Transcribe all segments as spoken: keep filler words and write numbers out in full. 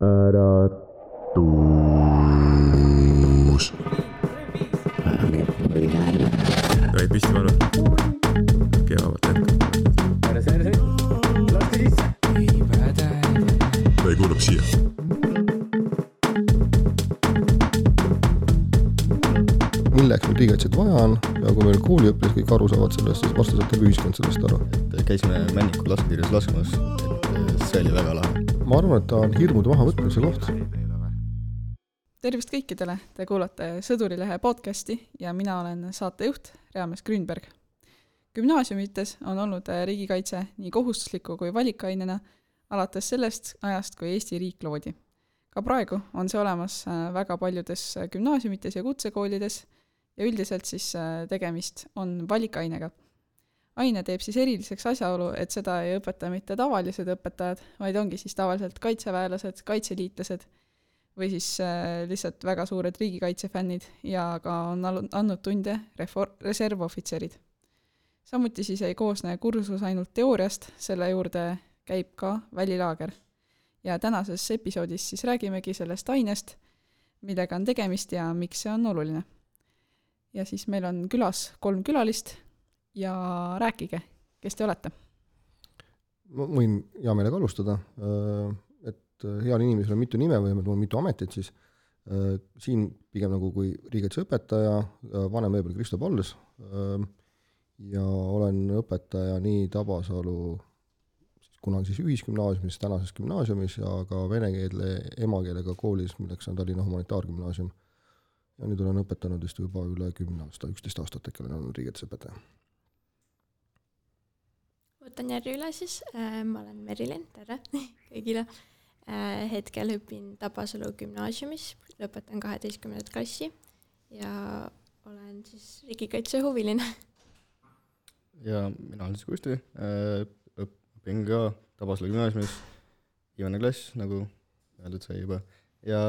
äratus. Tohid püsti varu. Keavad hetk. Ära see, ära see. Laske sisse. Või kuulab siia. Milleks meil riigikaitset vaja on ja kui meil kooliõpilased kõik aru saavad sellest, siis varsti saab terve ühiskond sellest aru. Et käisime Männiku lasketiirjas laskmas, et see oli väga lahe. Ma arvan, et ta on hirmude maha võtmise koht. Tervist kõikidele, te kuulate Sõdurilehe podcasti ja mina olen saatejuht Reames Grünberg. Gümnaasiumites on olnud riigikaitse nii kohustusliku kui valikainena alates sellest ajast, kui Eesti riik loodi. Ka praegu on see olemas väga paljudes gümnaasiumites ja kutsekoolides ja üldiselt siis tegemist on valikainega. Aine teeb siis eriliseks asjaolu, et seda ei õpeta mitte tavalised õpetajad, vaid ongi siis tavaliselt kaitseväelased, kaitseliitlased või siis lihtsalt väga suured riigikaitsefännid ja ka on andnud tunde refor- reservohvitserid. Samuti siis ei koosne kursus ainult teooriast, selle juurde käib ka välilaager. Ja tänases episoodis siis räägimegi sellest ainest, millega on tegemist ja miks see on oluline. Ja siis meil on külas kolm külalist ja rääkige, kes te olete? Ma võin hea meelega alustada, et heal inimesel on mitu nime või on mitu ametit, siis siin pigem nagu kui riigikaitseõpetaja, vanem veebel Kristo Palles ja olen õpetaja nii Tabasalu kunagi siis ühisgümnaasiumis, tänases gümnaasiumis ja ka vene keele emakeelega koolis, milleks on Tallinna humanitaargümnaasium. Ja nüüd olen õpetanud vist juba üle kümne aasta, üksteist aastat äkki olen olnud riigikaitseõpetaja. Võtan järgi üle siis, ma olen Merilin, tere kõigile. Hetkel õpin Tabasalu gümnaasiumis, lõpetan kaheteistkümnendat klassi ja olen siis riigikaitse huviline. Ja mina olen siis Kusti, õpin ka Tabasalu gümnaasiumis, viimane klass, nagu öeldud sai juba. Ja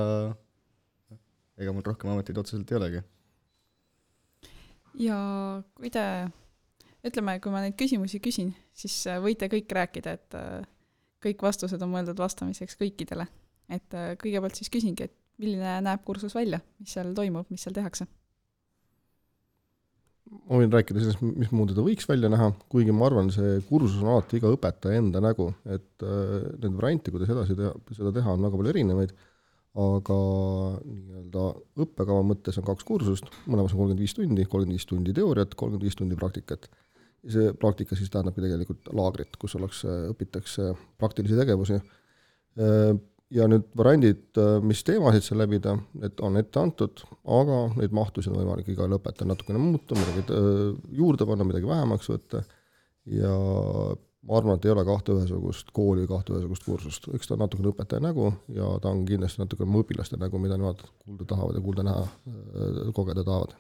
ega mul rohkem ametid otseselt ei olegi. Ja kui te, ütleme, kui ma neid küsimusi küsin, siis võite kõik rääkida, et kõik vastused on mõeldud vastamiseks kõikidele. Et kõigepealt siis küsingi, et milline näeb kursus välja, mis seal toimub, mis seal tehakse? Ma võin rääkida sellest, mis muud ta võiks välja näha, kuigi ma arvan, see kursus on alati iga õpetaja enda nägu, et need varianti, kuidas edasi teha, seda teha, on väga palju erinevaid, aga nii-öelda õppekava mõttes on kaks kursust, mõlemas on kolmkümmend viis tundi, kolmkümmend viis tundi teooriat, kolmkümmend viis tundi praktikat. Ja see praktika siis tähendabki tegelikult laagrit, kus oleks, õpitakse praktilisi tegevusi. Ja nüüd variandid, mis teemasid seal läbida, et on ette antud, aga neid mahtusid on võimalik igal õpetajal natukene muuta, midagi juurde panna, midagi vähemaks võtta ja ma arvan, et ei ole kahte ühesugust kooli, kahte ühesugust kursust. Üks ta on natukene õpetaja nägu ja ta on kindlasti natukene mu õpilaste nägu, mida nemad kuulda tahavad ja kuulda näha, kogeda tahavad.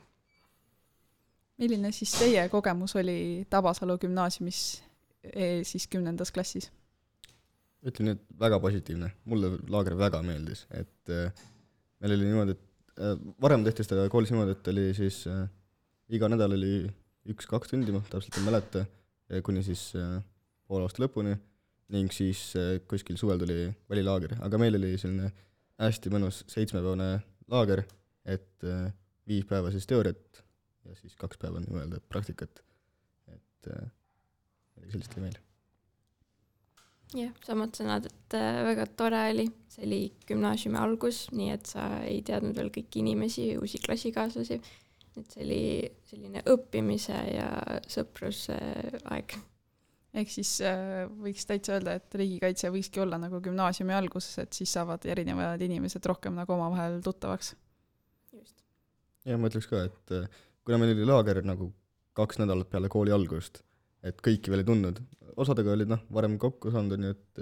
Milline siis teie kogemus oli Tabasalu gümnaasiumis siis kümnendas klassis? Ütlen, et väga positiivne. Mulle laager väga meeldis. Et äh, meil oli niimoodi, et äh, varem tehti seda koolis niimoodi, et oli siis äh, iga nädal oli üks-kaks tundi, ma täpselt ei mäleta, kuni siis äh, poole aasta lõpuni ning siis äh, kuskil suvel tuli välilaager. Aga meil oli selline hästi mõnus seitsmepäevane laager, et äh, viis päeva siis teooriat ja siis kaks päeva nii-öelda praktikat. Et äh, sellist oli meil. Jah, samad sõnad, et väga tore oli. See oli gümnaasiumi algus, nii et sa ei teadnud veel kõiki inimesi, uusi klassikaaslasi. Et see oli selline õppimise ja sõpruse aeg. Ehk siis võiks täitsa öelda, et riigikaitse võikski olla nagu gümnaasiumi alguses, et siis saavad erinevad inimesed rohkem nagu omavahel tuttavaks. Just. Ja ma ütleks ka, et kuna meil oli laager nagu kaks nädalat peale kooli algust, et kõiki veel ei tundnud. Osadega olid noh, varem kokku saanud, nii et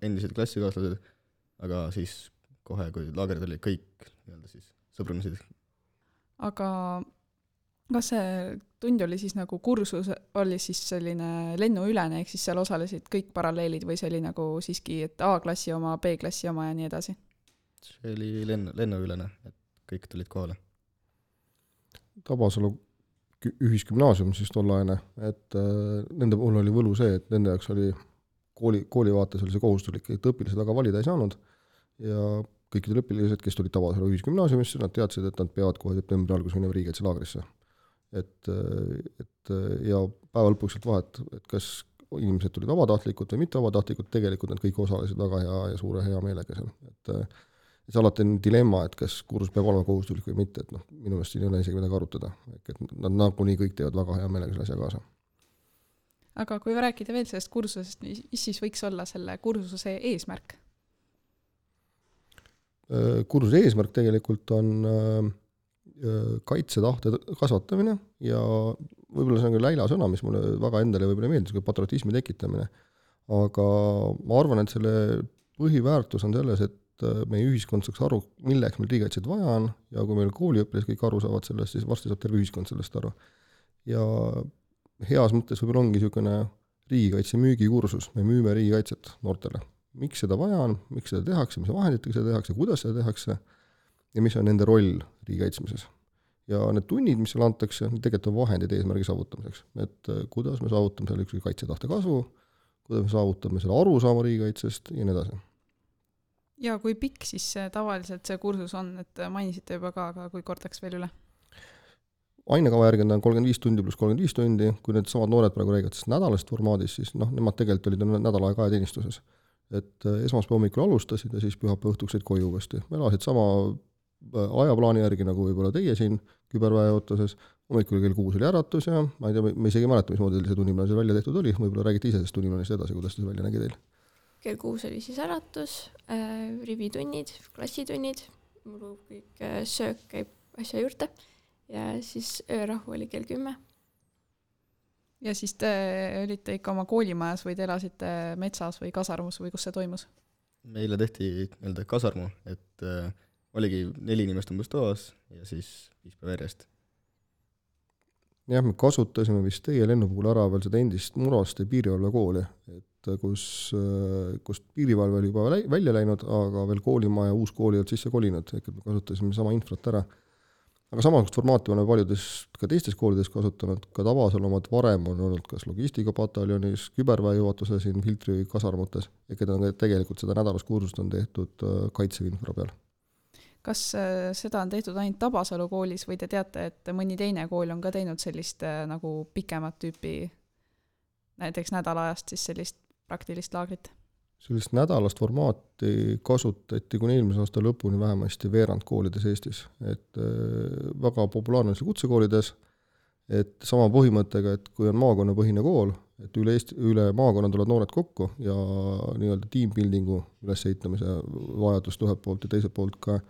endised klassikaaslased, aga siis kohe, kui laagerid oli kõik siis sõbrunasid. Aga kas see tund oli siis nagu kursus, oli siis selline lennuülene, ehk siis seal osalesid kõik paralleelid või see oli nagu siiski, et A-klassi oma, B-klassi oma ja nii edasi? See oli lennu, lennuülene, et kõik tulid kohale. Tabasalu ühisgümnaasium siis tollaine, et äh, nende puhul oli võlu see, et nende jaoks oli kooli, kooli vaates oli see kohustuslik, et õpilased väga valida ei saanud ja kõikidel õpilased, kes tulid Tabasalu ühisgümnaasiumisse, nad teadsid, et nad peavad kohe septembri alguses minema riigikaitselaagrisse. Et, et ja päeva lõpuks sealt vahet, et kas inimesed tulid vabatahtlikud või mitte vabatahtlikud, tegelikult nad kõik osalesid väga hea ja suure hea meelega seal. Et, et see alati on dilemma, et kas kursus peab olema kohustuslik või mitte, et noh, minu meelest siin ei ole isegi midagi arutada. Et nad nagunii kõik teevad väga hea meelega selle asja kaasa. Aga kui rääkida veel sellest kursusest, mis siis võiks olla selle kursuse eesmärk? Kursuse eesmärk tegelikult on kaitsetahte kasvatamine ja võib-olla see on küll läila sõna, mis mulle väga endale võib-olla meeldis, kui patriotismi tekitamine. Aga ma arvan, et selle põhiväärtus on selles, et meie ühiskond saaks aru, milleks meil riigikaitset vaja on ja kui meil kooliõpilased kõik aru saavad sellest, siis varsti saab terve ühiskond sellest aru. Ja heas mõttes võib-olla ongi niisugune riigikaitse müügikursus, me müüme riigikaitset noortele. Miks seda vaja on, miks seda tehakse, mis vahenditega seda tehakse, kuidas seda tehakse ja mis on nende roll riigikaitsmises. Ja need tunnid, mis seal antakse, tegelikult on vahendid eesmärgi saavutamiseks. Et kuidas me saavutame selle ükski kaitsetahte kasvu, kuidas me saavutame selle arusaama riigikaitsest ja nii edasi. Ja kui pikk siis tavaliselt see kursus on, et mainisite juba ka, aga kui kordaks veel üle? Ainekava järgi on kolmkümmend viis tundi pluss kolmkümmend viis tundi, kui need samad noored praegu räägivad nädalast formaadis, siis noh, nemad tegelikult olid nädal aega ajateenistuses. Et esmaspäeva hommikul alustasid ja siis pühapäeva õhtuks said koju uuesti. Me elasid sama ajaplaani järgi, nagu võib-olla teie siin küberväe ootuses. Hommikul kell kuus oli äratus ja ma ei tea, me isegi mäleta, mismoodi see tunniplaan seal välja tehtud oli. Võib-olla räägite ise sellest tunniplaanist edasi, kuidas see välja nägi teil? Kell kuus oli siis äratus, äh, rivitunnid, klassitunnid, mul kõik äh, söök käib asja juurde ja siis öörahu oli kell kümme. Ja siis te olite ikka oma koolimajas või te elasite metsas või kasarmus või kus see toimus? Meile tehti nii-öelda kasarmu, et äh, oligi neli inimest umbes toas ja siis viis päeva järjest. Jah, me kasutasime vist teie lennu puhul ära veel seda endist Muraste piirivalvekooli, et kus, kus piirivalve oli juba välja läinud, aga veel koolimaja uus kooli olid sisse kolinud, et me kasutasime sama infrat ära. Aga samasugust formaati oleme paljudes ka teistes koolides kasutanud, ka Tabasalu omad varem on olnud kas logistikapataljonis, küberväe juhatuse siin filtri kasarmutes, ja keda on tegelikult seda nädalast kursust on tehtud kaitseinfra peal. Kas seda on tehtud ainult Tabasalu koolis või te teate, et mõni teine kool on ka teinud sellist nagu pikemat tüüpi, näiteks nädalajast siis sellist praktilist laagrit? Sellist nädalast formaati kasutati kuni eelmise aasta lõpuni vähemasti veerand koolides Eestis. Et väga populaarne on see kutsekoolides, et sama põhimõttega, et kui on maakonnapõhine kool, et üle, Eesti, üle maakonna tulevad noored kokku ja nii-öelda teambuildingu ülesehitamise vajadust ühelt poolt ja teiselt poolt ka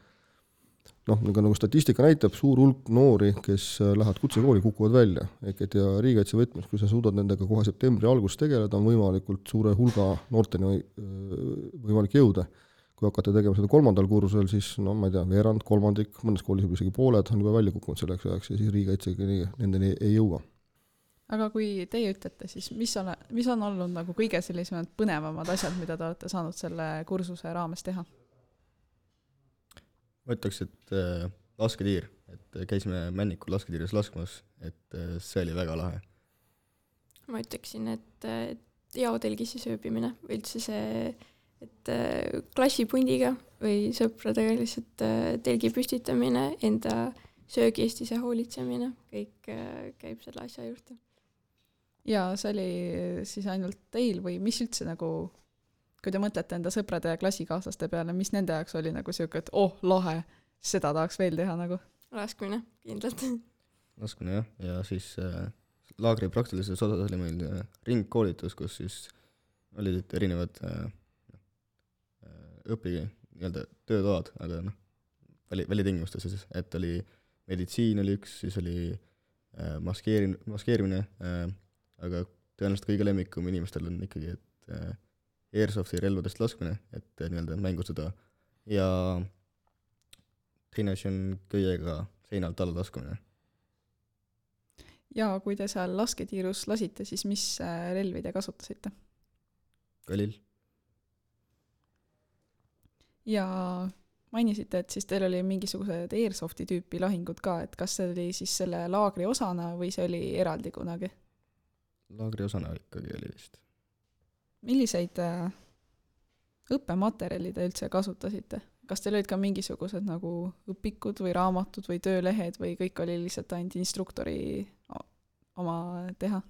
noh, nagu statistika näitab, suur hulk noori, kes lähevad kutsekooli, kukuvad välja. Et ja riigikaitse võtmes, kui sa suudad nendega kohe septembri alguses tegeleda, on võimalikult suure hulga noorteni võimalik jõuda. Kui hakata tegema seda kolmandal kursusel, siis no ma ei tea, veerand, kolmandik, mõnes koolis juba isegi pooled on juba välja kukkunud selleks ajaks ja siis riigikaitsega nendeni ei jõua. Aga kui teie ütlete, siis mis on, mis on olnud nagu kõige sellisemad põnevamad asjad, mida te olete saanud selle kursuse raames teha? Ma ütleks, et äh, lasketiir, et käisime Männikul lasketiires laskmas, et äh, see oli väga lahe. Ma ütleksin, et äh, jaotelgisi sööbimine, üldse see, et äh, klassipundiga või sõpradega lihtsalt äh, telgi püstitamine, enda söögiest ise hoolitsemine, kõik äh, käib selle asja juurde. Ja see oli siis ainult teil või mis üldse nagu kui te mõtlete enda sõprade ja klassikaaslaste peale, mis nende jaoks oli nagu siuke, et oh, lahe, seda tahaks veel teha nagu? Laskmine, kindlalt. Laskmine, jah. Ja siis äh, laagri praktilises osas oli meil äh, ringkoolitus, kus siis olid erinevad äh, õpigi nii-öelda töötoad, aga noh, väli, välitingimustes siis, et oli meditsiin oli üks, siis oli äh, maskeerin, maskeerimine, äh, aga tõenäoliselt kõige lemmikum inimestel on ikkagi, et äh, airsofti relvadest laskmine, et nii-öelda mängustada ja teine asi on köiega seinalt alla laskumine. Ja kui te seal lasketiirus lasite, siis mis relvi te kasutasite? Kalil. Ja mainisite, et siis teil oli mingisugused airsofti tüüpi lahingud ka, et kas see oli siis selle laagri osana või see oli eraldi kunagi? Laagri osana ikkagi oli vist. Milliseid õppematerjali te üldse kasutasite? Kas teil olid ka mingisugused nagu õpikud või raamatud või töölehed või kõik oli lihtsalt ainult instruktori oma teha?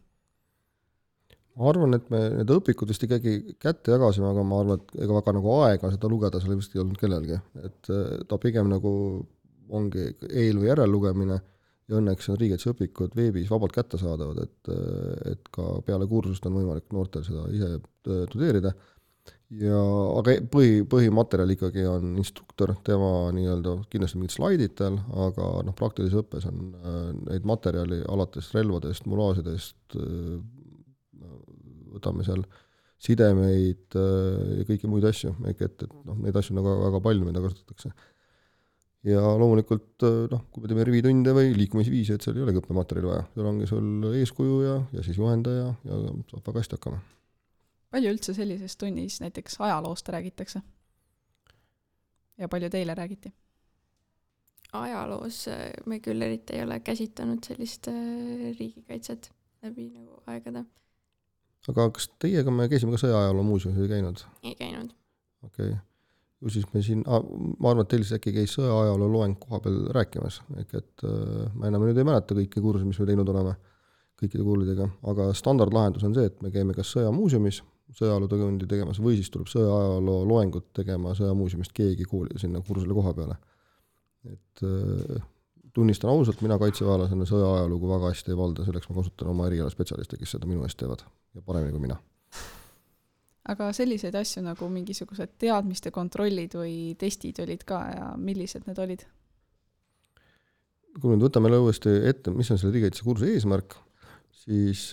Ma arvan, et me need õpikud vist ikkagi kätte jagasime, aga ma arvan, et ega väga nagu aega seda lugeda seal vist ei olnud kellelgi. Et ta pigem nagu ongi eel- või järellugemine ja õnneks on riigikaitseõpikud veebis vabalt kätte saadavad, et, et ka peale kursust on võimalik noortel seda ise tudeerida. Ja, aga põhi, põhimaterjal ikkagi on instruktor, tema nii-öelda kindlasti mingid slaidid tal, aga noh, praktilises õppes on neid materjali alates relvadest, mulaasidest, võtame seal sidemeid ja kõiki muid asju, et, et noh, neid asju nagu väga palju, mida kasutatakse. Ja loomulikult, noh, kui me teeme rivitunde või liikumisviisi, et seal ei olegi õppematerjali vaja, seal ongi sul eeskuju ja, ja siis juhendaja ja saab väga hästi hakkama. Palju üldse sellises tunnis näiteks ajaloost räägitakse? Ja palju teile räägiti? Ajaloos me küll eriti ei ole käsitanud sellist riigikaitset läbi nagu aegade. Aga kas teiega me käisime ka sõjaajaloo muuseumis ei käinud? Ei käinud. Okei. Okay. Ju siis me siin, ma arvan, et teil siis äkki käis sõjaajaloo loeng koha peal rääkimas, ehk et ma enam nüüd ei mäleta kõiki kurse, mis me teinud oleme kõikide kuulidega, aga standardlahendus on see, et me käime kas sõjamuuseumis sõjaajaloo tundi tegemas või siis tuleb sõjaajaloo loengut tegema sõjamuuseumist keegi kooli sinna kursule koha peale. Et tunnistan ausalt, mina kaitseväelasena sõjaajalugu väga hästi ei valda, selleks ma kasutan oma eriala spetsialiste, kes seda minu eest teevad ja paremini kui mina. Aga selliseid asju nagu mingisugused teadmiste kontrollid või testid olid ka ja millised need olid? Kui nüüd võtame uuesti ette, mis on selle riigikaitse kursi eesmärk, siis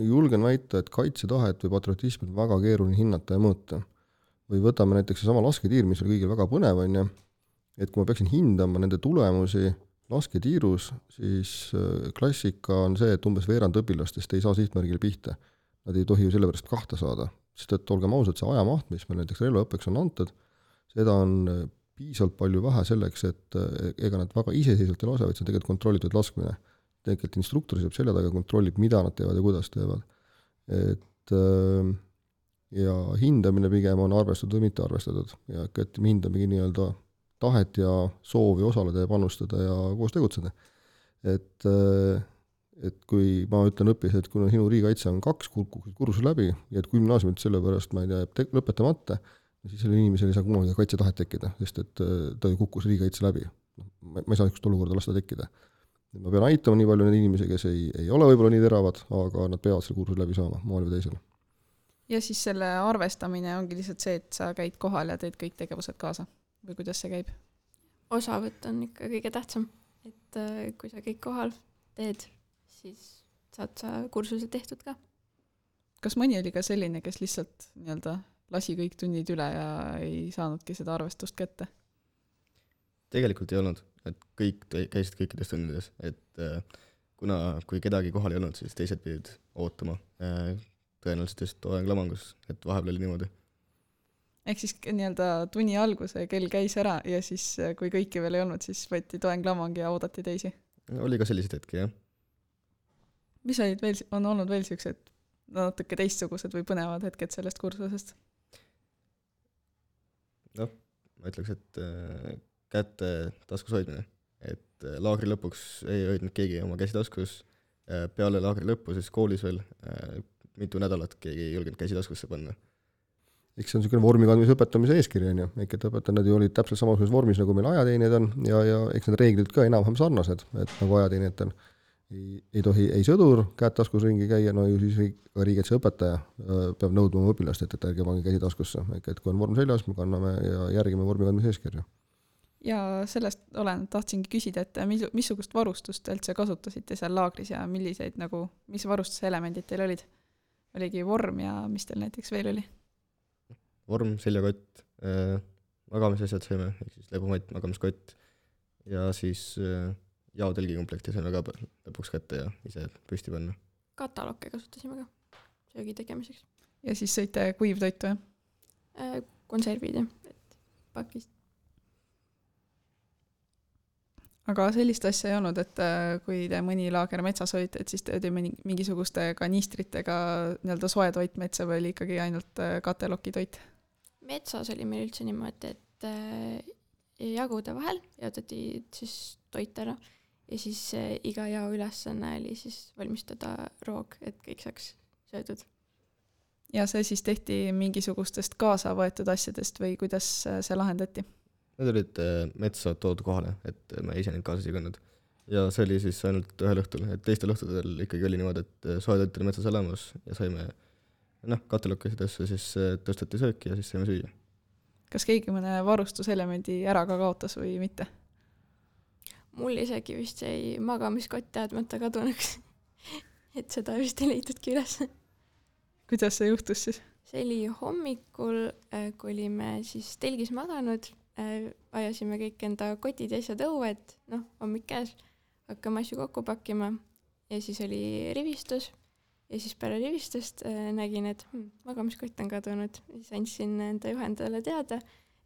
julgen väita, et kaitsetahet või patriotismi on väga keeruline hinnata ja mõõta. Või võtame näiteks sama lasketiir, mis oli kõigil väga põnev, on ja, et kui ma peaksin hindama nende tulemusi lasketiirus, siis klassika on see, et umbes veerand õpilastest ei saa sihtmärgile pihta. Nad ei tohi ju selle pärast kahta saada, sest et olgem ausad, see ajamaht, mis meil näiteks relvaõppeks on antud, seda on piisavalt palju vähe selleks, et ega nad väga iseseisvalt ei lase, vaid see on tegelikult kontrollitud laskmine. Tegelikult instruktor saab selle taga kontrollib, mida nad teevad ja kuidas teevad. Et, ja hindamine pigem on arvestatud või mitte arvestatud. Ja et me hindamegi nii-öelda tahet ja soovi osaleda ja panustada ja koos tegutseda. Et, et kui ma ütlen õppis, et kui sinu riigikaitse on kaks kursus läbi ja et gümnaasiumit selle pärast, ma ei tea, lõpetamata, siis selle inimesel ei saa kunagi kaitsetahet tekkida, sest et ta ju kukkus riigikaitse läbi. Ma ei saa ükst olukorda lasta tekkida. Ma pean aitama nii palju neid inimesi, kes ei, ei ole võib-olla nii teravad, aga nad peavad selle kursus läbi saama, moel või teisel. Ja siis selle arvestamine ongi lihtsalt see, et sa käid kohal ja teed kõik tegevused kaasa. Või kuidas see käib? Osavõtt on ikka kõige tähtsam, et kui sa kõik kohal teed, siis saad sa kursuse tehtud ka. Kas mõni oli ka selline, kes lihtsalt nii-öelda lasi kõik tunnid üle ja ei saanudki seda arvestust kätte? Tegelikult ei olnud, et kõik käisid kõikides tunnides, et kuna kui kedagi kohal ei olnud, siis teised pidid ootama tõenäoliselt just toenglamangus, et vahepeal oli niimoodi. Ehk siis nii-öelda tunni alguse kell käis ära ja siis kui kõiki veel ei olnud, siis võeti toenglamang ja oodati teisi. Oli ka sellised hetki, jah. Mis olid veel, on olnud veel sellised natuke teistsugused või põnevad hetked sellest kursusest? Noh, ma ütleks, et kätte taskus hoidmine. Et laagri lõpuks ei hoidnud keegi oma käsi taskus. Peale laagri lõppu, siis koolis veel mitu nädalat keegi ei julgenud käsi taskusse panna. Eks see on niisugune vormikandmise õpetamise eeskiri, on ju. Ehk et õpetajad olid täpselt samasuguses vormis, nagu meil ajateenijad on, ja, ja eks need reeglid ka enam-vähem sarnased, et nagu ajateenijatel ei, ei tohi ei sõdur käed taskus ringi käia, no ju siis ka riigikaitse õpetaja peab nõudma oma õpilast, et, et ärge pange käsi taskusse. Ehk et kui on vorm seljas, me kanname ja järgime vormikandmise eeskirja. Ja sellest olen, tahtsingi küsida, et missugust varustust üldse kasutasite seal laagris ja milliseid, nagu, mis varustuselemendid teil olid? Oligi vorm ja mis teil näiteks veel oli? Vorm, seljakott, äh, magamisasjad saime, ehk siis lebumait, magamiskott ja siis äh, jaotelgikomplekti saime ka lõpuks kätte ja ise püsti panna. Katalokke kasutasime ka söögi tegemiseks. Ja siis sõite kuivtoitu, jah? Äh, konservid, jah, et pakist. Aga sellist asja ei olnud, et kui te mõni laager metsas olite, et siis te olite mingisuguste kanistritega nii-öelda soe toit metsa või oli ikkagi ainult kateloki toit? metsas oli meil üldse niimoodi, et äh, jagude vahel jaotati siis toit ära ja siis äh, iga jao ülesanne oli siis valmistada roog, et kõik saaks söödud. Ja see siis tehti mingisugustest kaasa võetud asjadest või kuidas see lahendati? Need olid metsa toodud kohale, et me ise neid kaasas ei kandnud. Ja see oli siis ainult ühel õhtul, et teistel õhtudel ikkagi oli niimoodi, et soetoit oli metsas elamus ja saime noh, katelokkasidesse siis tõsteti sööki ja siis saime süüa. Kas keegi mõne varustuselemendi ära ka kaotas või mitte? Mul isegi vist jäi magamiskott teadmata kadunuks, et seda vist ei leitudki üles. Kuidas see juhtus siis? See oli hommikul, kui olime siis telgis maganud, ajasime kõik enda kotid ja asjad õue, et noh, hommik käes, hakkame asju kokku pakkima ja siis oli rivistus ja siis pärast rivistust nägin, et hm, magamiskott on kadunud. Siis andsin enda juhendajale teada,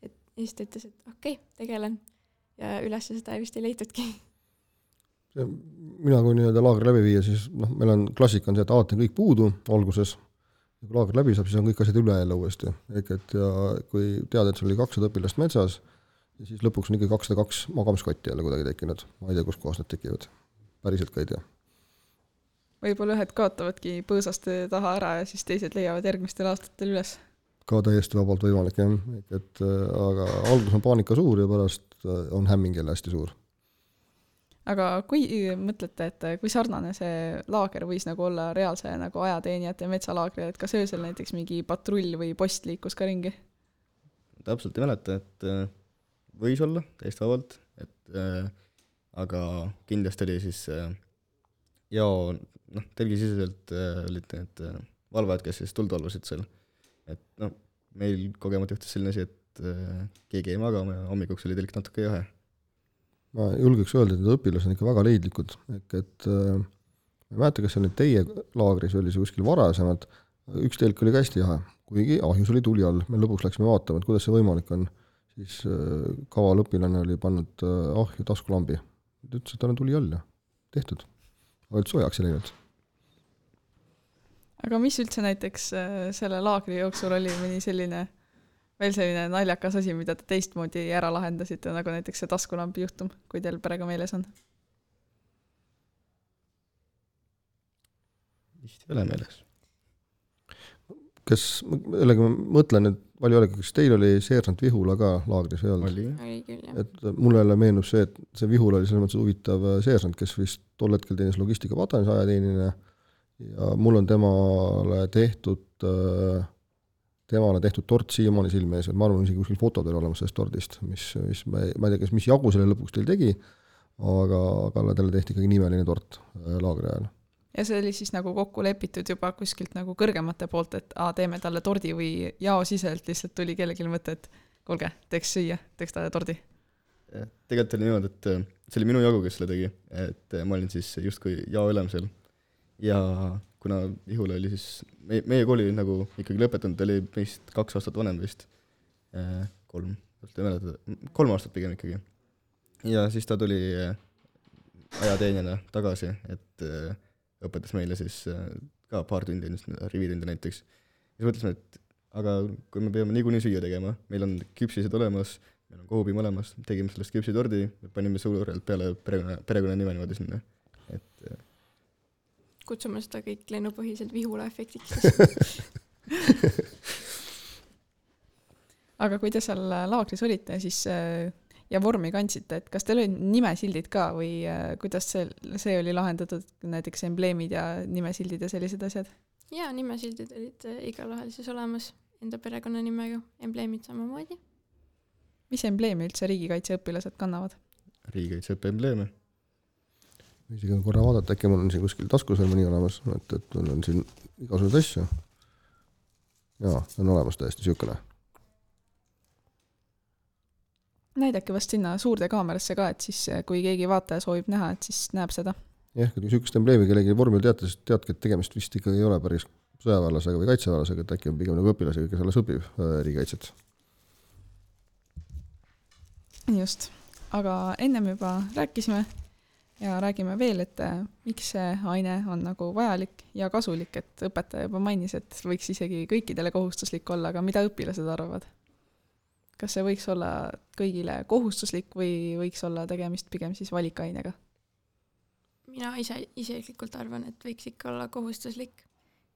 et siis ta ütles, et okei, okay, tegelen ja üles seda vist ei leitudki. Mina kui nii-öelda laagri läbi viia, siis noh, meil on klassika on see, et alati on kõik puudu alguses. Ja kui laagri läbi saab, siis on kõik asjad üle jälle uuesti. Ehk et ja kui tead, et sul oli kakssada õpilast metsas, ja siis lõpuks on ikka kakssada kaks magamiskotti jälle kuidagi tekkinud. Ma ei tea, kus kohas need tekivad. Päriselt ka ei tea. Võib-olla ühed kaotavadki põõsaste taha ära ja siis teised leiavad järgmistel aastatel üles. Ka täiesti vabalt võimalik, jah. Et, aga algus on paanika suur ja pärast on hämming jälle hästi suur. Aga kui mõtlete, et kui sarnane see laager võis nagu olla reaalse nagu ajateenijate metsalaagri, et kas öösel näiteks mingi patrull või post liikus ka ringi? Täpselt ei mäleta, et võis olla täiesti vabalt, et äh, aga kindlasti oli siis äh, ja noh, telgisiseselt äh, olid need äh, valvajad, kes siis tuld valvasid seal. Et noh, meil kogemata juhtus selline asi, et äh, keegi ei magama ja hommikuks oli telk natuke jahe. Ma julgeks öelda, et need õpilased on ikka väga leidlikud. Ehk et äh, ma ei mäleta, kas see oli teie laagris või oli see kuskil varasemalt. Üks telk oli ka hästi jahe, kuigi ahjus oli tuli all. Me lõpuks läksime vaatama, et kuidas see võimalik on. Siis äh, kaval õpilane oli pannud äh, ahju taskulambi. Ta ütles, et tal on tuli all ja tehtud. Aga et soojaks ei läinud. Aga mis üldse näiteks selle laagri jooksul oli mõni selline, veel selline naljakas asi, mida te teistmoodi ära lahendasite, nagu näiteks see taskulambi juhtum, kui teil perega meeles on? Vist ei ole meeles. Kas, jällegi ma mõtlen, et palju olegi, kas teil oli seersant Vihula ka laagris või olnud? Oli. Oli küll, jah. Et mulle jälle meenub see, et see Vihula oli selles mõttes huvitav seersant, kes vist tol hetkel teenis logistika patanis ajateenine ja mul on temale tehtud temale tehtud tort siiamaani silme ees, ma arvan, isegi kuskil foto teil olemas sellest tordist, mis, mis ma, ei, ma ei tea, kes mis jagu selle lõpuks teil tegi, aga, aga talle tehti ikkagi nimeline tort laagri ajal. Ja see oli siis nagu kokku lepitud juba kuskilt nagu kõrgemate poolt, et a, teeme talle tordi või jao siselt lihtsalt tuli kellelgi mõte, et kuulge, teeks süüa, teeks talle tordi. Tegelikult oli niimoodi, et see oli minu jagu, kes selle tegi, et ma olin siis justkui jao ülemisel ja kuna Vihula oli siis, meie, meie kooli nagu ikkagi lõpetanud, ta oli meist kaks aastat vanem vist, kolm, kolm aastat pigem ikkagi. Ja siis ta tuli ajateenjana tagasi, et õpetas meile siis ka paar tundi, rivitundi näiteks. Ja siis mõtlesime, et aga kui me peame niikuinii süüa tegema, meil on küpsised olemas, meil on kohubi mõlemas, tegime sellest küpsitordi, panime suurelt peale perekonna, perekonna nime niimoodi sinna. Et kutsume seda kõik lennupõhiselt Vihula efektiks. Aga kui te seal laagris olite siis, ja vormi kandsite, et kas teil olid nimesildid ka või kuidas see, see oli lahendatud, näiteks embleemid ja nimesildid ja sellised asjad? Jaa, nimesildid olid igal vahel siis olemas enda perekonna nimega, embleemid samamoodi. Mis embleemi üldse riigikaitse õpilased kannavad? Riigikaitse õppe embleeme. Isegi korra vaadata, äkki mul on siin kuskil taskus veel mõni olemas, et, et mul on siin igasugused asju. Jaa, on olemas täiesti sükene. Näidake vast sinna suurde kaamerasse ka, et siis kui keegi vaataja soovib näha, et siis näeb seda. Jah, kui sükest embleemi kellegi vormil teate, teadki, et tegemist vist ikkagi ei ole päris sõjaväelasega või kaitseväelasega, et äkki on pigem nagu õpilasega, kes alles õpib riigikaitset. Just, aga ennem juba rääkisime ja räägime veel, et miks see aine on nagu vajalik ja kasulik, et õpetaja juba mainis, et võiks isegi kõikidele kohustuslik olla, aga mida õpilased arvavad? kas see võiks olla kõigile kohustuslik või võiks olla tegemist pigem siis valikainega? mina ise isiklikult arvan, et võiks ikka olla kohustuslik,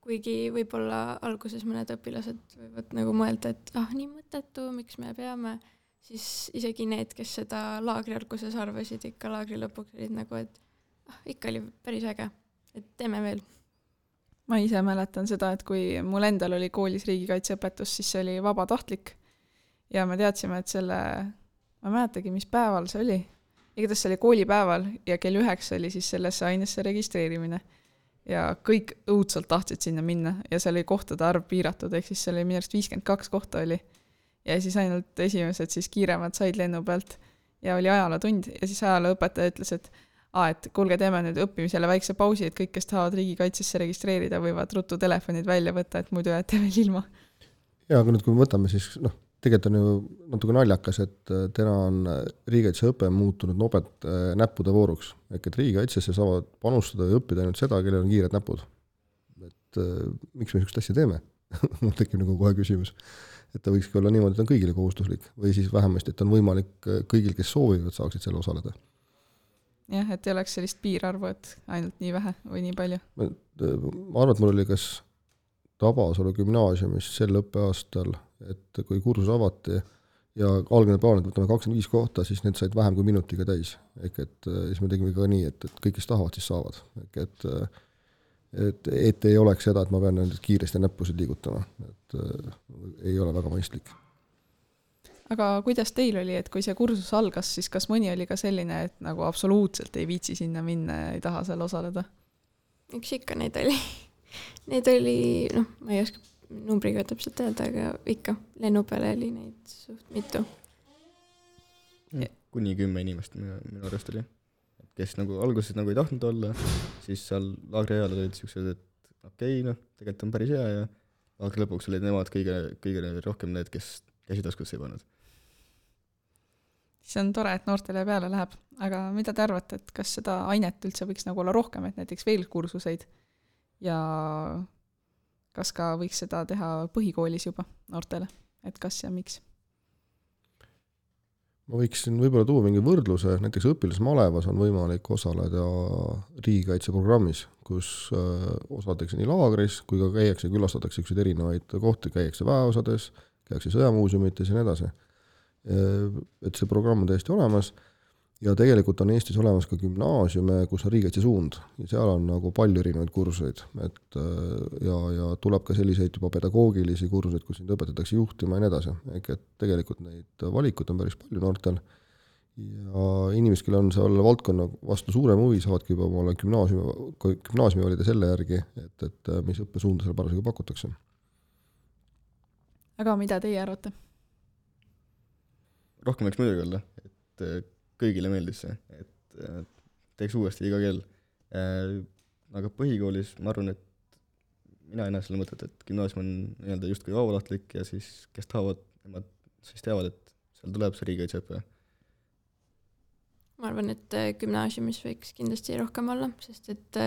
kuigi võib-olla alguses mõned õpilased võivad nagu mõelda, et ah, nii mõttetu, miks me peame, siis isegi need, kes seda laagri alguses arvasid, ikka laagri lõpuks olid nagu, et ah, ikka oli päris äge, et teeme veel. Ma ise mäletan seda, et kui mul endal oli koolis riigikaitseõpetus, siis see oli vabatahtlik ja me teadsime, et selle, ma mäletagi, mis päeval see oli. Igatahes see oli koolipäeval ja kell üheksa oli siis sellesse ainesse registreerimine ja kõik õudselt tahtsid sinna minna ja seal oli kohtade arv piiratud, ehk siis seal oli minu arust viiskümmend kaks kohta oli ja siis ainult esimesed siis kiiremad said lennu pealt ja oli ajalootund ja siis ajalooõpetaja ütles, et aa, et kuulge, teeme nüüd õppimisele väikse pausi, et kõik, kes tahavad riigikaitsesse registreerida, võivad ruttu telefonid välja võtta, et muidu jääte veel ilma. Ja, aga nüüd kui me võtame, siis noh, tegelikult on ju natuke naljakas, et täna on riigikaitseõpe muutunud nobed näppude vooruks. Ehk et riigikaitsesse saavad panustada ja õppida ainult seda, kellel on kiired näpud. Et miks me niisugust asja teeme? Mul tekib nagu kohe küsimus. Et ta võikski olla niimoodi, et on kõigile kohustuslik või siis vähemasti, et on võimalik kõigil, kes soovivad, saaksid selle osaleda. Jah, et ei oleks sellist piirarvu, et ainult nii vähe või nii palju. Ma arvan, et mul oli kas Tabasalu gümnaasiumis sel õppeaastal, et kui kursus avati ja algne plaan, et võtame kakskümmend viis kohta, siis need said vähem kui minutiga täis. Ehk et siis me tegime ka nii, et, et kõik, kes tahavad, siis saavad. Ehk et, et, et ei oleks seda, et ma pean nendest kiiresti näppusid liigutama. Et ei ole väga mõistlik. Aga kuidas teil oli, et kui see kursus algas, siis kas mõni oli ka selline, et nagu absoluutselt ei viitsi sinna minna ja ei taha seal osaleda? Üks ikka neid oli. Neid oli, noh, ma ei oska numbriga täpselt öelda, aga ikka lennu peale oli neid suht mitu. Kuni kümme inimest minu, minu arvest oli. Kes nagu alguses nagu ei tahtnud olla, siis seal laagri ajal olid siuksed, et okei, okay, noh, tegelikult on päris hea ja laagri lõpuks olid nemad kõige, kõige rohkem need, kes käsitaskusse ei pannud. See on tore, et noortele peale läheb. Aga mida te arvate, et kas seda ainet üldse võiks nagu olla rohkem, et näiteks veel kursuseid ja kas ka võiks seda teha põhikoolis juba noortele, et kas ja miks? Ma võiksin võib-olla tuua mingi võrdluse, näiteks õpilasmalevas on võimalik osaleda riigikaitseprogrammis, kus osaletakse nii laagris, kui ka käiakse, külastatakse üksid erinevaid kohti, käiakse väeosades, käiakse sõjamuuseumites ja nii edasi. Et see programm on täiesti olemas ja tegelikult on Eestis olemas ka gümnaasiume, kus on riigikaitse suund ja seal on nagu palju erinevaid kursuseid, et ja, ja tuleb ka selliseid juba pedagoogilisi kursuseid, kus sind õpetatakse juhtima ja nii edasi. Ehk et tegelikult neid valikut on päris palju noortel ja inimesed, kellel on seal valdkonna vastu suurem huvi, saavadki juba omale gümnaasiumi, gümnaasiumi valida selle järgi, et, et mis õppesuunda seal parasjagu pakutakse. Aga mida teie arvate? Rohkem võiks muidugi olla, et kõigile meeldis see, et teeks uuesti iga kell. Aga põhikoolis ma arvan, et mina ei näe selle mõtet, et gümnaasium on nii-öelda just kui vabatahtlik ja siis kes tahavad, nemad siis teavad, et seal tuleb see riigikaitseõpe. Ma arvan, et gümnaasiumis võiks kindlasti rohkem olla, sest et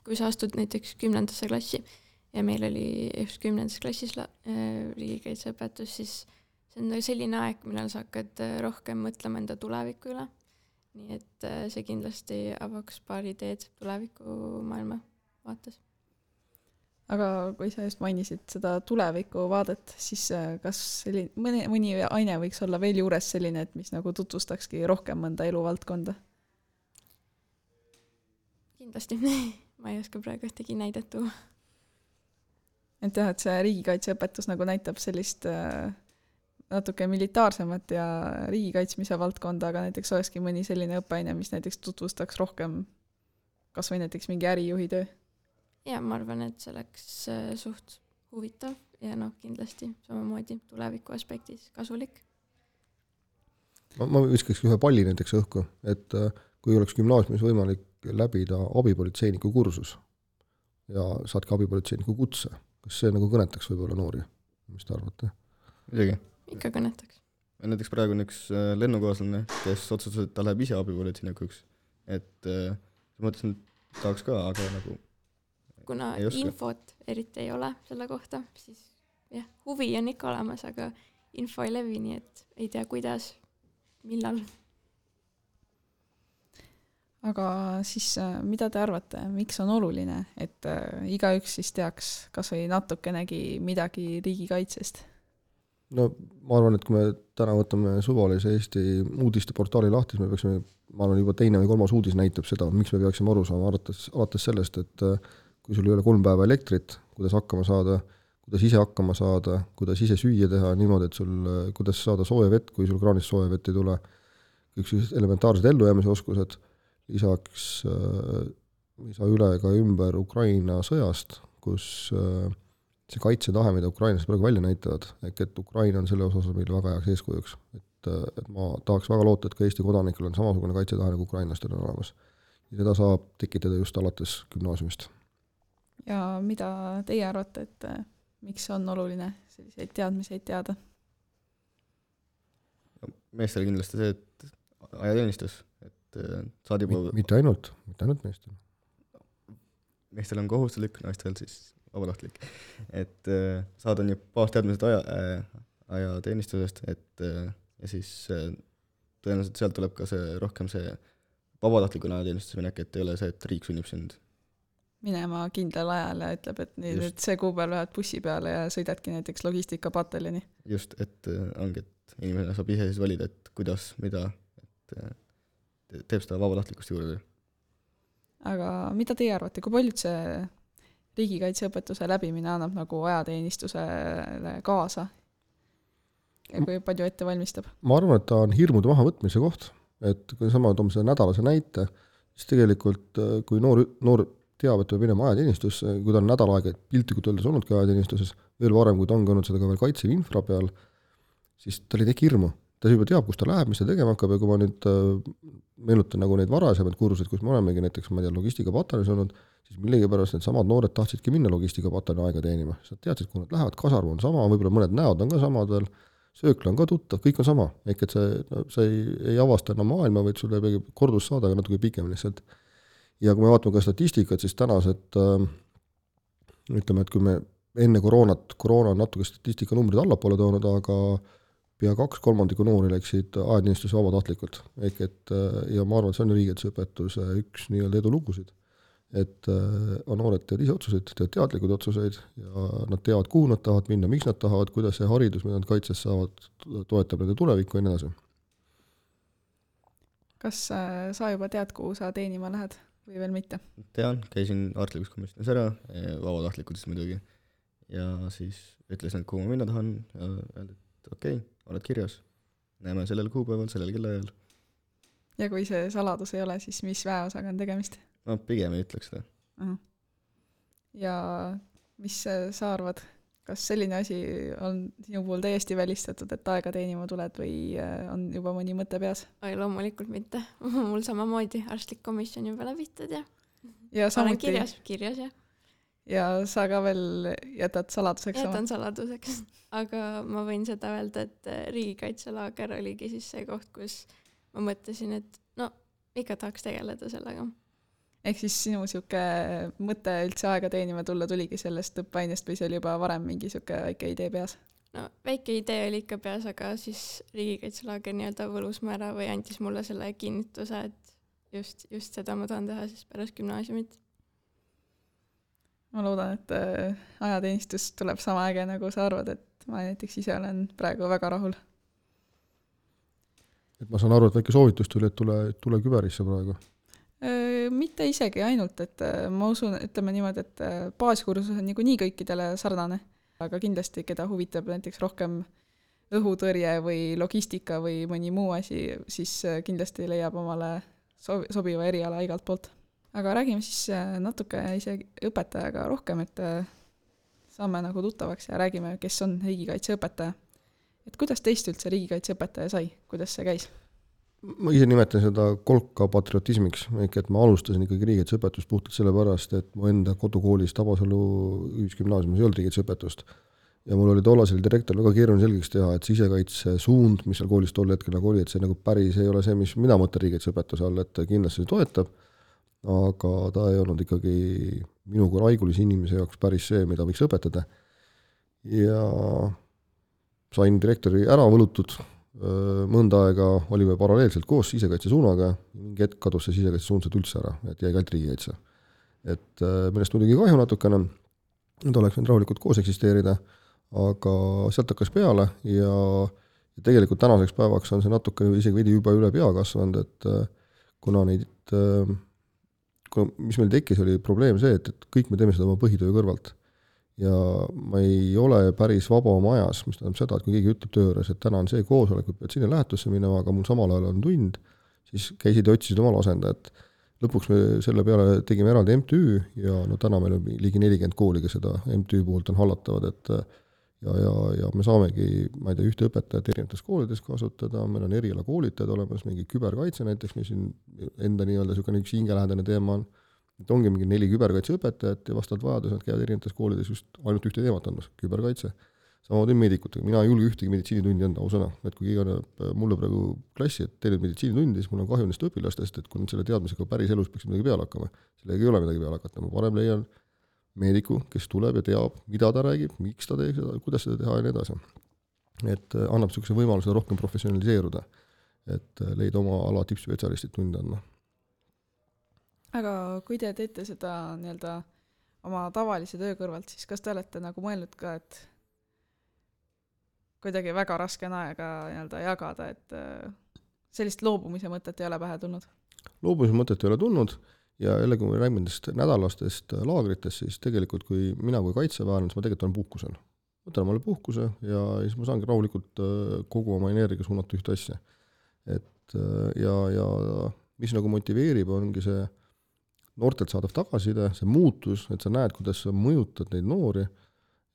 kui sa astud näiteks kümnendasse klassi ja meil oli just kümnendas klassis riigikaitseõpetus, siis see on selline aeg, millal sa hakkad rohkem mõtlema enda tuleviku üle. Nii et see kindlasti avaks paari ideed tuleviku maailma vaates. Aga kui sa just mainisid seda tuleviku vaadet, siis kas selline, mõni, mõni aine võiks olla veel juures selline, et mis nagu tutvustakski rohkem mõnda eluvaldkonda? Kindlasti. Ma ei oska praegu ühtegi näidet tuua. Et jah, et see riigikaitseõpetus nagu näitab sellist natuke militaarsemat ja riigikaitsmise valdkonda, aga näiteks olekski mõni selline õppeaine, mis näiteks tutvustaks rohkem kas või näiteks mingi ärijuhi töö. Ja ma arvan, et see oleks suht huvitav ja noh, kindlasti samamoodi tuleviku aspektis kasulik. Ma, ma viskaks ühe palli näiteks õhku, et kui oleks gümnaasiumis võimalik läbida abipolitseiniku kursus ja saadki abipolitseiniku kutse, kas see nagu kõnetaks võib-olla noori? Mis te arvate? Midagi. Ikka kõnetaks. Näiteks praegu on üks lennukaaslane, kes otsustas, et ta läheb ise abipolitseinikuks. Et äh, mõtlesin, et tahaks ka, aga nagu kuna infot eriti ei ole selle kohta, siis jah, huvi on ikka olemas, aga info ei levi, nii et ei tea, kuidas, millal. Aga siis mida te arvate, miks on oluline, et igaüks siis teaks kas või natukenegi midagi riigikaitsest? No ma arvan, et kui me täna võtame suvalise Eesti uudisteportaali lahti, siis me peaksime, ma arvan, juba teine või kolmas uudis näitab seda, miks me peaksime aru saama, alates, alates sellest, et kui sul ei ole kolm päeva elektrit, kuidas hakkama saada, kuidas ise hakkama saada, kuidas ise süüa teha niimoodi, et sul, kuidas saada sooja vett, kui sul kraanist sooja vett ei tule, kõik elementaarsed ellujäämise oskused, lisaks äh, ei saa üle ka ümber Ukraina sõjast, kus äh, see kaitsetahe, mida Ukrainas praegu välja näitavad, ehk et Ukraina on selle osas meile väga heaks eeskujuks. Et, et ma tahaks väga loota, et ka Eesti kodanikel on samasugune kaitsetahe nagu ukrainlastel on olemas. Ja seda saab tekitada just alates gümnaasiumist. Ja mida teie arvate, et miks on oluline selliseid teadmiseid teada? Meestel kindlasti see, et ajateenistus, et saad juba... Mitte ainult, mitte ainult meestel. Meestel on kohustuslik, naistel siis vabatahtlik. Et äh, saad on ju baasteadmised aja, äh, ajateenistusest, et äh, ja siis äh, tõenäoliselt sealt tuleb ka see rohkem see vabatahtliku ajateenistus minek, et ei ole see, et riik sunnib sind minema kindlal ajal ja ütleb, et, nii, et see kuupäev lähed bussi peale ja sõidadki näiteks logistikapataljoni. Just, et äh, ongi, et inimene saab ise siis valida, et kuidas, mida, et äh, teeb seda vabatahtlikust juurde. Aga mida teie arvate, kui paljud see riigikaitseõpetuse läbimine annab nagu ajateenistusele kaasa ja kui palju ette valmistab? Ma arvan, et ta on hirmude mahavõtmise koht, et kui sama toome selle nädalase näite, siis tegelikult kui noor, noor teab, et peab minema ajateenistusse, kui ta on nädal aega piltlikult öeldes olnudki ajateenistuses, veel varem, kui ta on olnud seda ka veel kaitsev infra peal, siis tal ei teki hirmu. Ta juba teab, kus ta läheb, mis ta tegema hakkab ja kui ma nüüd meenutan nagu neid varasemaid kursuseid, kus me olemegi näiteks, ma tean, logistikapataljoni olnud, siis millegipärast need samad noored tahtsidki minna logistikapataljoni aega teenima. Sa teadsid, kui nad lähevad, kasarv on sama, võib-olla mõned näod on ka samad veel, söökla on ka tuttav, kõik on sama. Ehk et see, no, see ei, ei avasta enam maailma, vaid sulle ei kordus saada, aga natuke pikem lihtsalt. Ja kui me vaatame ka statistikat, siis tänased, ütleme, et kui me enne koroonat, koroona on natuke statistika numbrid allapoole toonud, aga pea kaks kolmandiku noori läksid ajateenistuse vabatahtlikult. Ehk et, ja ma arvan, et see on riigikaitseõpetuse üks nii-öelda edulugusid. Et on noored teevad ise otsuseid, teevad teadlikud otsuseid ja nad teavad, kuhu nad tahavad minna, miks nad tahavad, kuidas see haridus, mida nad kaitses saavad, toetab nende tulevikku ja nii edasi. Kas sa juba tead, kuhu sa teenima lähed või veel mitte? Tean, käisin artlikus komisjonis ära, vabatahtlikud siis muidugi. Ja siis ütlesin, et kuhu ma minna tahan ja öeldi, et okei, okay, oled kirjas. Näeme sellel kuupäeval, sellel kellaajal. Ja kui see saladus ei ole, siis mis väeosaga on tegemist? No pigem ei ütleks seda. Uh-huh. Ja mis sa arvad? Kas selline asi on sinu puhul täiesti välistatud, et aega teenima tuled või on juba mõni mõte peas? Ai, loomulikult mitte. Mul samamoodi arstlik komisjon juba läbitud ja, ja samuti... kirjas, kirjas ja. Ja sa ka veel jätad saladuseks? Jätan sama? saladuseks. Aga ma võin seda öelda, et riigikaitselaager oligi siis see koht, kus ma mõtlesin, et no, ikka tahaks tegeleda sellega. Ehk siis sinu siuke mõte üldse aega teenima tulla tuligi sellest õppeainest või see oli juba varem mingi siuke väike idee peas? No, väike idee oli ikka peas, aga siis riigikaitselaager nii-öelda võlus ma ära või andis mulle selle kinnituse, et just, just seda ma tahan teha siis pärast gümnaasiumit. Ma loodan, et ajateenistus tuleb sama äge, nagu sa arvad, et ma näiteks ise olen praegu väga rahul. Et ma saan aru, et väike soovitus tuli, et tule, tule küberisse praegu. Mitte isegi ainult, et ma usun, ütleme niimoodi, et baaskursus on nagu nii kõikidele sarnane, aga kindlasti, keda huvitab näiteks rohkem õhutõrje või logistika või mõni muu asi, siis kindlasti leiab omale sobiva eriala igalt poolt. Aga räägime siis natuke isegi õpetajaga rohkem, et saame nagu tuttavaks ja räägime, kes on riigikaitseõpetaja. Et kuidas teist üldse riigikaitseõpetaja sai? Kuidas see käis? Ma ise nimetan seda kolka patriotismiks, et ma alustasin ikkagi riigikaitseõpetust puhtalt sellepärast, et mu enda kodukoolis Tabasalu ühisgümnaasiumis ei olnud riigikaitseõpetust. Ja mul oli tollasel direktor väga keeruline selgeks teha, et sisekaitse suund, mis seal koolis tol hetkel nagu oli, et see nagu päris ei ole see, mis mina mõtlen riigikaitseõpetuse all, et kindlasti see toetab, aga ta ei olnud ikkagi minu kui raigulise inimese jaoks päris see, mida võiks õpetada. Ja sain direktori ära võlutud, mõnda aega olime paralleelselt koos sisekaitse suunaga, mingi hetk kadus see sisekaitse suund sealt üldse ära, et jäi kält riigikaitse. Et millest muidugi kahju natukene, et oleks võinud rahulikult koos eksisteerida, aga sealt hakkas peale ja tegelikult tänaseks päevaks on see natuke isegi veidi juba üle pea kasvanud, et kuna neid, kuna, mis meil tekkis, oli probleem see, et, et kõik me teeme seda oma põhitöö kõrvalt. Ja ma ei ole päris vaba oma ajas, mis tähendab seda, et kui keegi ütleb töö juures, et täna on see koosolek, et pead sinna lähetusse minema, aga mul samal ajal on tund, siis käisid ja otsisid omal asendajat. Lõpuks me selle peale tegime eraldi M T Ü ja no täna meil on ligi nelikümmend kooli, kes seda M T Ü puhult on hallatavad, et ja, ja, ja me saamegi, ma ei tea, ühte õpetajat erinevates koolides kasutada, meil on eriala koolitajad olemas, mingi küberkaitse näiteks, mis siin enda nii-öelda niisugune üks hingelähedane teema on, et ongi mingi neli küberkaitseõpetajat ja vastavalt vajadus nad käivad erinevates koolides just ainult ühte teemat andmas, küberkaitse. Samamoodi meedikutega, mina ei julge ühtegi meditsiinitundi anda ausõna, et kui keegi annab mulle praegu klassi, et teile meditsiinitundi, siis mul on kahju nendest õpilastest, et kui nüüd selle teadmisega päris elus peaks midagi peale hakkama, sellega ei ole midagi peale hakata, ma parem leian meediku, kes tuleb ja teab, mida ta räägib, miks ta teeb seda, kuidas seda teha ja nii edasi. Et annab niisuguse võimaluse rohkem professionaliseeruda, et leida oma ala tippspetsialistid tunde andma. Aga kui te teete seda nii-öelda oma tavalise töö kõrvalt, siis kas te olete nagu mõelnud ka, et kuidagi väga raske on aega nii-öelda jagada, et sellist loobumise mõtet ei ole pähe tulnud? Loobumise mõtet ei ole tulnud ja jälle, kui me räägime nendest nädalastest laagritest, siis tegelikult kui mina kui kaitseväelane, siis ma tegelikult olen puhkusel. Võtan omale puhkuse ja siis ma saangi rahulikult kogu oma energia suunata ühte asja. Et ja, ja mis nagu motiveerib, ongi see noortelt saadav tagasiside, see muutus, et sa näed, kuidas sa mõjutad neid noori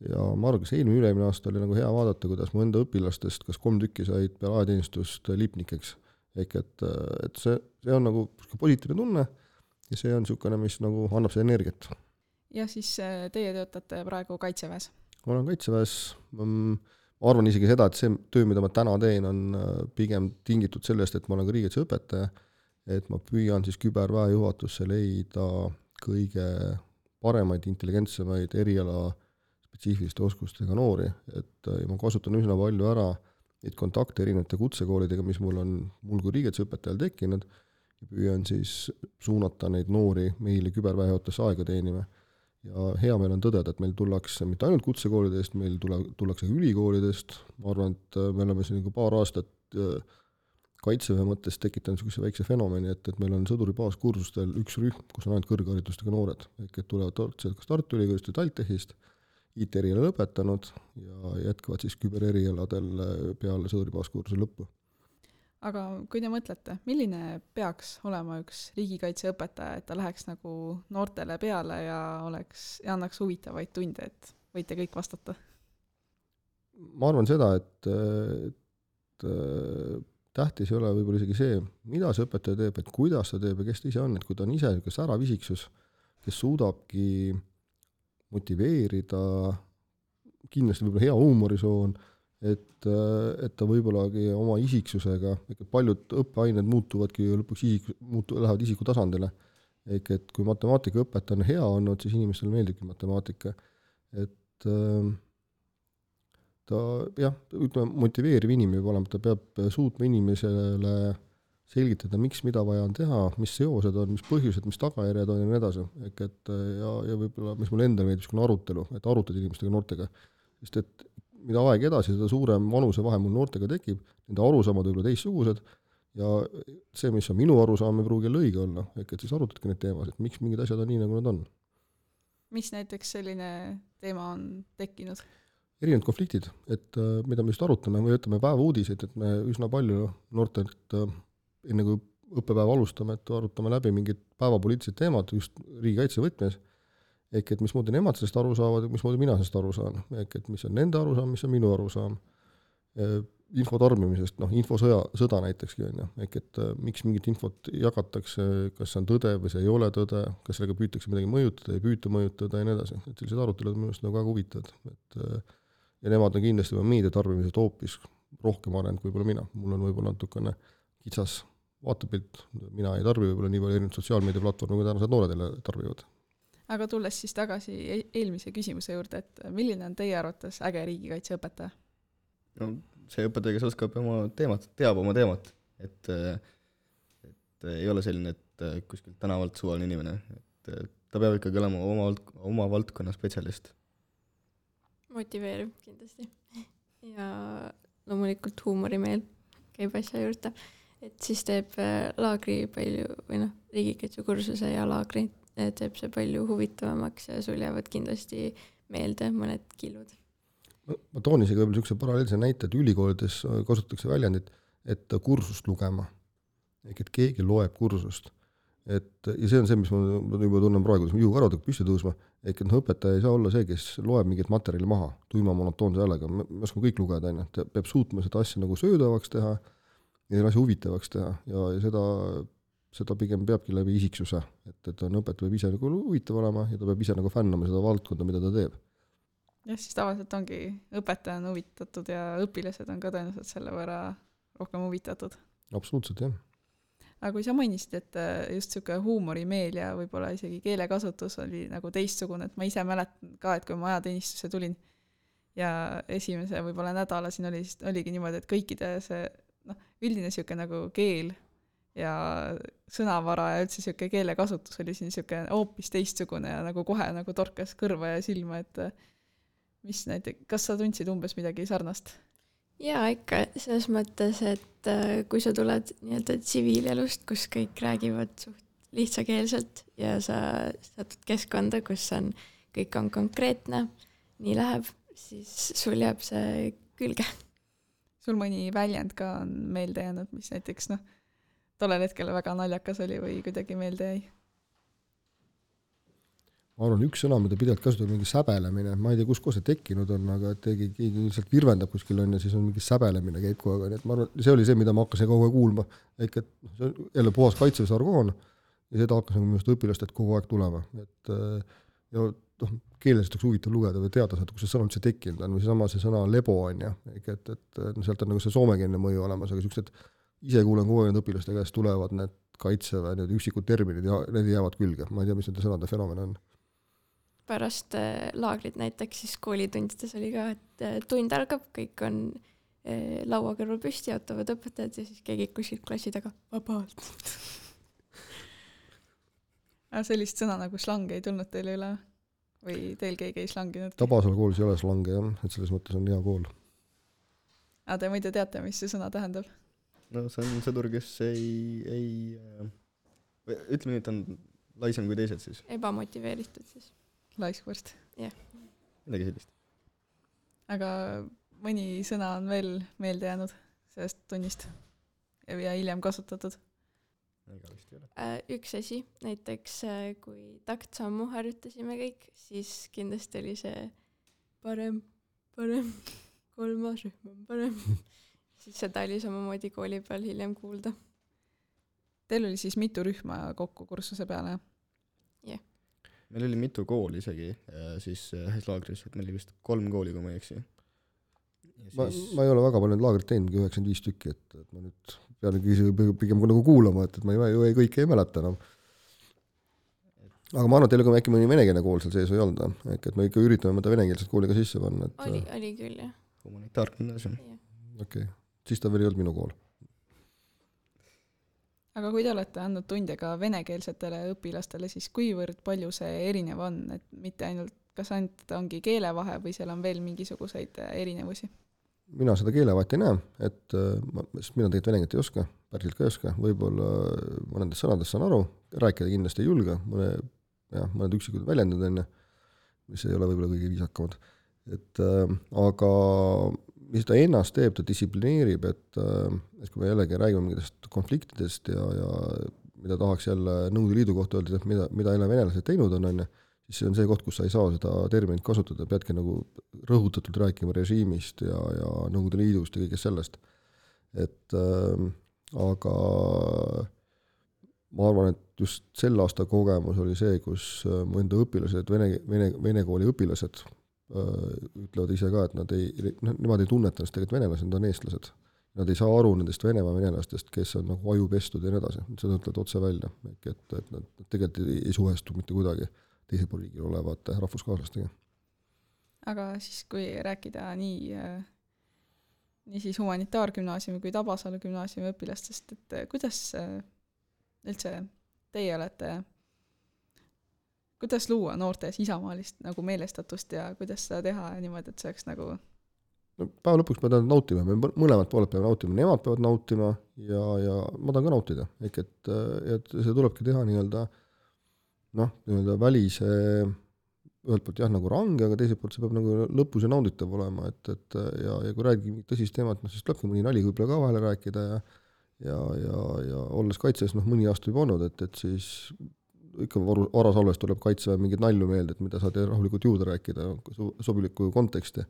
ja ma arvan, kas eelmine ülemine aasta oli nagu hea vaadata, kuidas mu enda õpilastest, kas kolm tükki said peale ajateenistust lipnikeks. Ehk et, et see, see on nagu positiivne tunne ja see on niisugune, mis nagu annab see energiat. Ja siis teie töötate praegu kaitseväes? Ma olen kaitseväes, ma arvan isegi seda, et see töö, mida ma täna teen, on pigem tingitud sellest, et ma olen ka riigikaitse õpetaja, et ma püüan siis küberväe juhatusse leida kõige paremaid, intelligentsemaid eriala spetsiifiliste oskustega noori, et ma kasutan üsna palju ära neid kontakte erinevate kutsekoolidega, mis mul on mul kui riigikaitseõpetajal tekkinud ja püüan siis suunata neid noori meile küberväe juhatusse aega teenima. Ja hea meil on tõdeda, et meil tullakse mitte ainult kutsekoolidest, meil tule, tullakse ülikoolidest, ma arvan, et me oleme siin paar aastat kaitseväe mõttes tekitanud niisuguse väikse fenomeni, et, et meil on sõduri baaskursustel üks rühm, kus on ainult kõrgharidustega noored, ehk et tulevad kas Tartu Ülikoolist või TalTechist, I T-eriala lõpetanud ja jätkavad siis kübererialadel peale sõduri baaskursuse lõppu. Aga kui te mõtlete, milline peaks olema üks riigikaitseõpetaja, et ta läheks nagu noortele peale ja, oleks, ja annaks huvitavaid tunde, et võite kõik vastata? Ma arvan seda, et, et tähtis ei ole võib-olla isegi see, mida see õpetaja teeb, et kuidas ta teeb ja kes ta ise on, et kui ta on ise kes äravisiksus, kes suudabki motiveerida, kindlasti võib-olla hea huumorisoon, et, et ta võib-ollagi oma isiksusega, et paljud õppeained muutuvadki lõpuks isik, muutu, lähevad isiku tasandile. Ehk et kui matemaatika õpetaja on hea olnud, siis inimestele meeldibki matemaatika. Et ta jah, ütleme, motiveeriv inimene peab olema, ta peab suutma inimesele selgitada, miks mida vaja on teha, mis seosed on, mis põhjused, mis tagajärjed on ja nii edasi. Ehk et ja, ja võib-olla, mis mul endal meeldib, niisugune arutelu, et arutad inimestega noortega. Sest et mida aeg edasi, seda suurem vanuse vahe mul noortega tekib, nende arusaamad võib-olla teistsugused ja see, mis on minu arusaam, ei pruugi õige olla. Ehk et siis arutadki need teemasid, miks mingid asjad on nii, nagu nad on. Mis näiteks selline teema on tekkinud? Erinevad konfliktid, et mida me just arutame, või ütleme päeva uudiseid, et me üsna palju noortelt enne kui õppepäeva alustame, et arutame läbi mingid päevapoliitilised teemad just riigikaitse võtmes, ehk et mismoodi nemad sellest aru saavad ja mismoodi mina sellest aru saan, ehk et mis on nende arusaam, mis on minu arusaam. Info tarbimisest, noh, infosõja, sõda näitekski on, ehk et miks mingit infot jagatakse, kas see on tõde või see ei ole tõde, kas sellega püütakse midagi mõjutada, ei püüta mõjutada ja nii edasi. Et sellised arutelud on minust nagu väga huvitavad. Et, ja nemad on kindlasti meedia tarbimisest hoopis rohkem arenenud kui võib-olla mina. Mul on võib-olla natukene kitsas vaatepilt, mina ei tarbi võib-olla nii palju erinevad sotsiaalmeediaplatvormi, kui tänased nooredele tarbivad. Aga tulles siis tagasi eelmise küsimuse juurde, et milline on teie arvates äge riigikaitseõpetaja? no see õpetaja, kes oskab oma teemat, teab oma teemat, et, et ei ole selline, et kuskilt tänavalt suvaline inimene, et ta peab ikkagi olema oma, oma valdkonna spetsialist. Motiveeriv kindlasti. Ja loomulikult huumorimeel käib asja juurde, et siis teeb laagri palju, või noh, riigikaitsekursuse ja laagri teeb see palju huvitavamaks ja sul jäävad kindlasti meelde mõned kilud. Ma toon isegi võib-olla niisuguse paralleelse näite, et ülikoolides kasutatakse väljendit, et kursust lugema. Ehk et keegi loeb kursust. Et, ja see on see, mis ma juba tunnen praegu, kus ma juhukarvad püsti tõusma, ehk et no, õpetaja ei saa olla see, kes loeb mingit materjali maha, tuima monotoonse häälega, me oskame kõik lugeda, et peab suutma seda asja nagu söödavaks teha ja asja huvitavaks teha ja, ja seda, seda pigem peabki läbi isiksuse, et, et on õpetaja peab ise nagu huvitav olema ja ta peab ise nagu fännama seda valdkonda, mida ta teeb. Jah, siis tavaliselt ongi õpetaja on huvitatud ja õpilased on ka tõenäoliselt selle võrra rohkem huvitatud. Absoluutselt, jah. Aga kui sa mainisid, et just niisugune huumorimeel ja võib-olla isegi keelekasutus oli nagu teistsugune, et ma ise mäletan ka, et kui ma ajateenistuse tulin ja esimese võib-olla nädala siin oli, oligi niimoodi, et kõikide see noh, üldine niisugune nagu keel ja sõnavara ja üldse niisugune keelekasutus oli siin niisugune hoopis teistsugune ja nagu kohe nagu torkas kõrva ja silma, et mis näiteks, kas sa tundsid umbes midagi sarnast? Jaa, ikka selles mõttes, et kui sa tuled nii-öelda tsiviilelust, kus kõik räägivad suht lihtsakeelselt ja sa satud keskkonda, kus on, kõik on konkreetne, nii läheb, siis sul jääb see külge. Sul mõni väljend ka on meelde jäänud, mis näiteks noh, tollel hetkel väga naljakas oli või kuidagi meelde jäi? Ma arvan, üks sõna, mida pidevalt kasutab mingi säbelemine, ma ei tea, kus koos see tekkinud on, aga keegi, keegi lihtsalt virvendab kuskil on ja siis on mingi säbelemine käib kogu aeg, nii et ma arvan, see oli see, mida ma hakkasin kogu aeg kuulma, ehk et see on jälle puhas kaitsevesargoon ja seda hakkasin minu õpilastelt kogu aeg tulema, et ja noh, keelest oleks huvitav lugeda või teada saada, kus see sõna üldse tekkinud on või sama see sõna lebo on ja, ehk et, et sealt on nagu see soomekeelne mõju olemas, aga sellised ise kuulen kogu aeg õpilaste käest tulevad need kaitseväe, need üksikud terminid ja need jäävad külge, ma ei tea, mis nende sõnade fenomen on. Pärast äh, laagrid näiteks siis koolitundides oli ka, et äh, tund algab, kõik on äh, laua kõrval püsti, ootavad õpetajad ja siis keegi kuskilt klassi taga vabalt. Sellist sõna nagu slang ei tulnud teile üle või teil keegi ei slanginud? Tabasalu koolis ei ole slange, jah, et selles mõttes on hea kool. Aga te muide teate, mis see sõna tähendab? No see on sõdur, kes ei, ei või, ütleme nii, et on laisem kui teised siis. Ebamotiveeritud siis. Laiskvõrst. Jah. Midagi sellist. Aga mõni sõna on veel meelde jäänud sellest tunnist ja hiljem kasutatud? Ega vist ei ole. Üks asi, näiteks kui taktsammu harjutasime kõik, siis kindlasti oli see parem, parem, kolmas rühm on parem. Siis seda oli samamoodi kooli peal hiljem kuulda. Teil oli siis mitu rühma kokku kursuse peale? Jah. Meil oli mitu kooli isegi siis ühes laagris, et meil oli vist kolm kooli, kui ma ei eksi. Ma, siis... ma ei ole väga palju laagrit teinud, üheksakümmend viis tükki, et, et ma nüüd pean pigem nagu kuulama, et, et ma ei, ei, kõike ei mäleta enam. Aga ma arvan, et teil on äkki mõni venekeelne kool seal sees või olnud, et me ikka üritame mõnda venekeelset kooli ka sisse panna. Et... Oli, oli küll, jah. Humanitaargümnaasium. Okei, okay. Siis ta veel ei olnud minu kool. Aga kui te olete andnud tunde ka venekeelsetele õpilastele, siis kuivõrd palju see erinev on, et mitte ainult, kas ainult ongi keelevahe või seal on veel mingisuguseid erinevusi? Mina seda keelevahet ei näe, et ma, mina tegelikult venekeelt ei oska, päriselt ka ei oska, võib-olla mõnedest sõnadest saan aru, rääkida kindlasti ei julge, mõne, jah, mõned üksikud väljendud enne, mis ei ole võib-olla kõige viisakamad. Et, äh, aga mis ta ennast teeb, ta distsiplineerib, et, et kui me jällegi räägime mingitest konfliktidest ja, ja mida tahaks jälle Nõukogude Liidu kohta öelda, et mida, mida jälle venelased teinud on, on, siis see on see koht, kus sa ei saa seda terminit kasutada, peadki nagu rõhutatult rääkima režiimist ja, ja Nõukogude Liidust ja kõigest sellest. Et äh, aga ma arvan, et just sel aasta kogemus oli see, kus mu enda õpilased, vene, vene, vene kooli õpilased ütlevad ise ka, et nad ei, nemad ei tunneta ennast tegelikult venelased, nad on eestlased. Nad ei saa aru nendest Venemaa venelastest, kes on nagu ajupestud ja nii edasi. Seda ütlevad otse välja, et, et nad tegelikult ei, ei suhestu mitte kuidagi teise pool riigil olevate rahvuskaaslastega. Aga siis, kui rääkida nii nii siis humanitaargümnaasiumi kui Tabasalu gümnaasiumi õpilastest, et kuidas üldse teie olete, kuidas luua noortes isamaalist nagu meelestatust ja kuidas seda teha niimoodi, et see oleks nagu no, päeva lõpuks me tahan nautima, me mõlemad pooled peavad nautima, nemad peavad nautima ja, ja ma tahan ka nautida, ehk et, et see tulebki teha nii-öelda noh, nii-öelda välise ühelt poolt jah, nagu range, aga teiselt poolt see peab nagu lõpus ja nauditav olema, et, et ja, ja kui räägime tõsist teemat, noh, siis tulebki mõni nali võib-olla ka vahele rääkida ja ja, ja, ja olles kaitses, noh, mõni aasta juba olnud, et, et siis ikka varasalves tuleb kaitseväe mingit nalju meelde, et mida saad rahulikult juurde rääkida, sobilikku konteksti.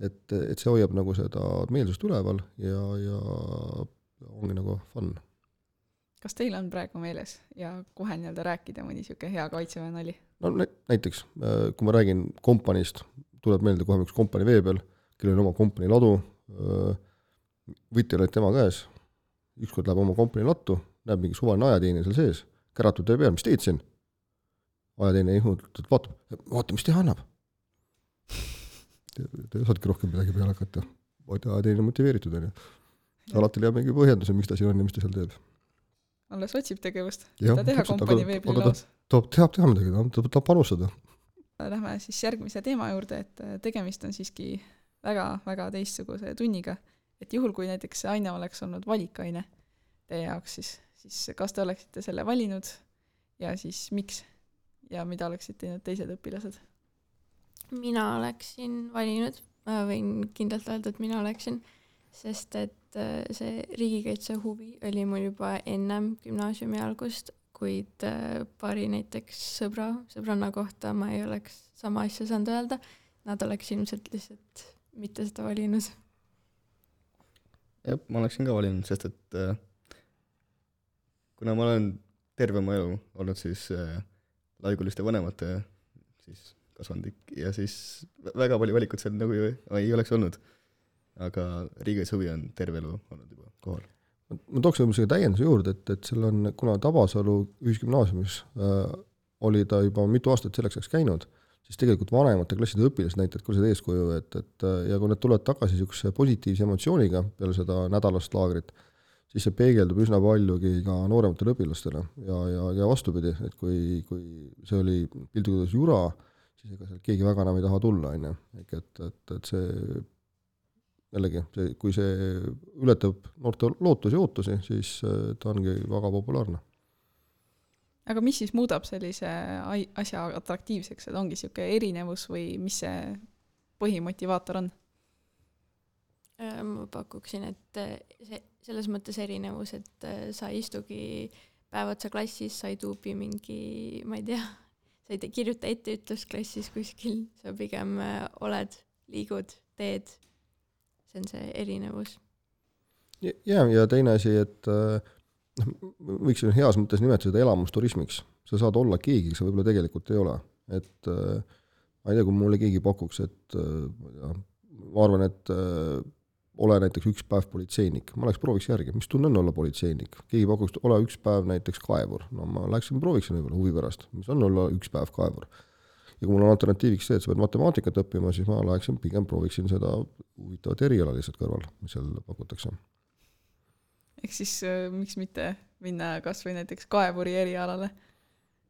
Et, et see hoiab nagu seda meelsust üleval ja, ja ongi nagu fun. Kas teil on praegu meeles ja kohe nii-öelda rääkida mõni siuke hea kaitseväe nali? No näiteks, kui ma räägin kompanist, tuleb meelde kohe üks kompani vee peal, kellel on oma kompani ladu, võtjal olid tema käes, ükskord läheb oma kompani lattu, näeb mingi suvaline ajateine seal sees, käratud teie peal, mis teed siin? Ajateine ihmutud, vaatab, vaata, mis teha annab. Te, te saadki rohkem midagi peale hakata. Ajateine motiveeritud on ju. Alati leiab mingi põhjenduse, miks ta siin on ja mis ta seal teeb. Alles otsib tegevust, mida teha kompani veebli laos. Ta tahab teha midagi, ta tahab panustada. Lähme siis järgmise teema juurde, et tegemist on siiski väga-väga teistsuguse tunniga. Et juhul, kui näiteks see aine oleks olnud valikaine teie jaoks, siis, siis kas te oleksite selle valinud ja siis miks ja mida oleksid teinud teised õpilased? Mina oleksin valinud, ma võin kindlalt öelda, et mina oleksin, sest et see riigikaitse huvi oli mul juba ennem gümnaasiumi algust, kuid paari näiteks sõbra, sõbranna kohta ma ei oleks sama asja saanud öelda, nad oleks ilmselt lihtsalt mitte seda valinud. Jah, ma oleksin ka valinud, sest et äh, kuna ma olen terve mu elu olnud siis äh, laiguliste vanemate siis kasvandik ja siis väga palju valikut seal nagu ei, ei oleks olnud. Aga riigikaitse huvi on terve elu olnud juba kohal. Ma tooks võib-olla täienduse juurde, et, et seal on, kuna Tabasalu ühisgümnaasiumis äh, oli ta juba mitu aastat selleks ajaks käinud, siis tegelikult vanemate klasside õpilased näitavad ka seda eeskuju, et, et ja kui nad tulevad tagasi niisuguse positiivse emotsiooniga peale seda nädalast laagrit, siis see peegeldub üsna paljugi ka noorematele õpilastele ja, ja, ja vastupidi, et kui, kui see oli pildudes jura, siis ega seal keegi väga enam ei taha tulla, on ju. Et, et, et see jällegi, see, kui see ületab noorte lootusi ja ootusi, siis ta ongi väga populaarne. Aga mis siis muudab sellise asja atraktiivseks, et ongi siuke erinevus või mis see põhimotivaator on? Ma pakuksin, et see, selles mõttes erinevus, et sa istugi päevatsa klassis, sa ei tuubi mingi, ma ei tea, sa ei kirjuta etteütlust klassis kuskil, sa pigem oled, liigud, teed. See on see erinevus. Ja, ja teine asi, et võiks heas mõttes nimetada seda elamusturismiks. Sa saad olla keegi, sa võib-olla tegelikult ei ole. Et ma ei tea, kui mulle keegi pakuks, et ja, ma arvan, et ole näiteks üks päev politseinik. Ma läheks prooviks järgi, mis tunne on olla politseinik. Keegi pakuks, ole üks päev näiteks kaevur. No ma läheksin prooviksin võib-olla huvi pärast, mis on olla üks päev kaevur. Ja kui mul on alternatiiviks see, et sa pead matemaatikat õppima, siis ma läheksin pigem prooviksin seda huvitavat eriala lihtsalt kõrval, mis seal pakutakse. Ehk siis äh, miks mitte minna kas või näiteks kaevuri erialale,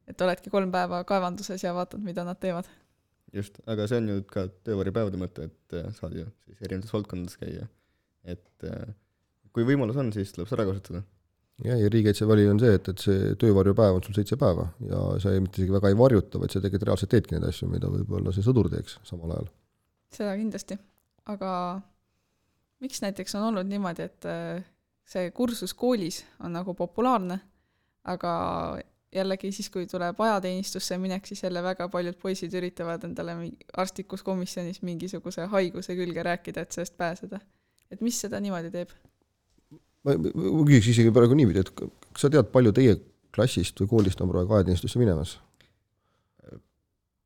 et oledki kolm päeva kaevanduses ja vaatad, mida nad teevad. Just, aga see on ju ka töövarjupäevade mõte, et saad ju siis erinevates valdkondades käia. Et kui võimalus on, siis tuleb seda kasutada. Ja, ja riigikaitse vali on see, et, et see töövarjupäev on sul seitse päeva ja sa ei mitte isegi väga ei varjuta, vaid sa tegelikult reaalselt teedki neid asju, mida võib-olla see sõdur teeks samal ajal. Seda kindlasti. Aga miks näiteks on olnud niimoodi, et see kursus koolis on nagu populaarne, aga jällegi siis, kui tuleb ajateenistusse minek, siis jälle väga paljud poisid üritavad endale arstlikus komisjonis mingisuguse haiguse külge rääkida, et sellest pääseda. Et mis seda niimoodi teeb? Ma, ma küsiks isegi praegu niipidi, et kas sa tead, palju teie klassist või koolist on praegu ajateenistusse minemas?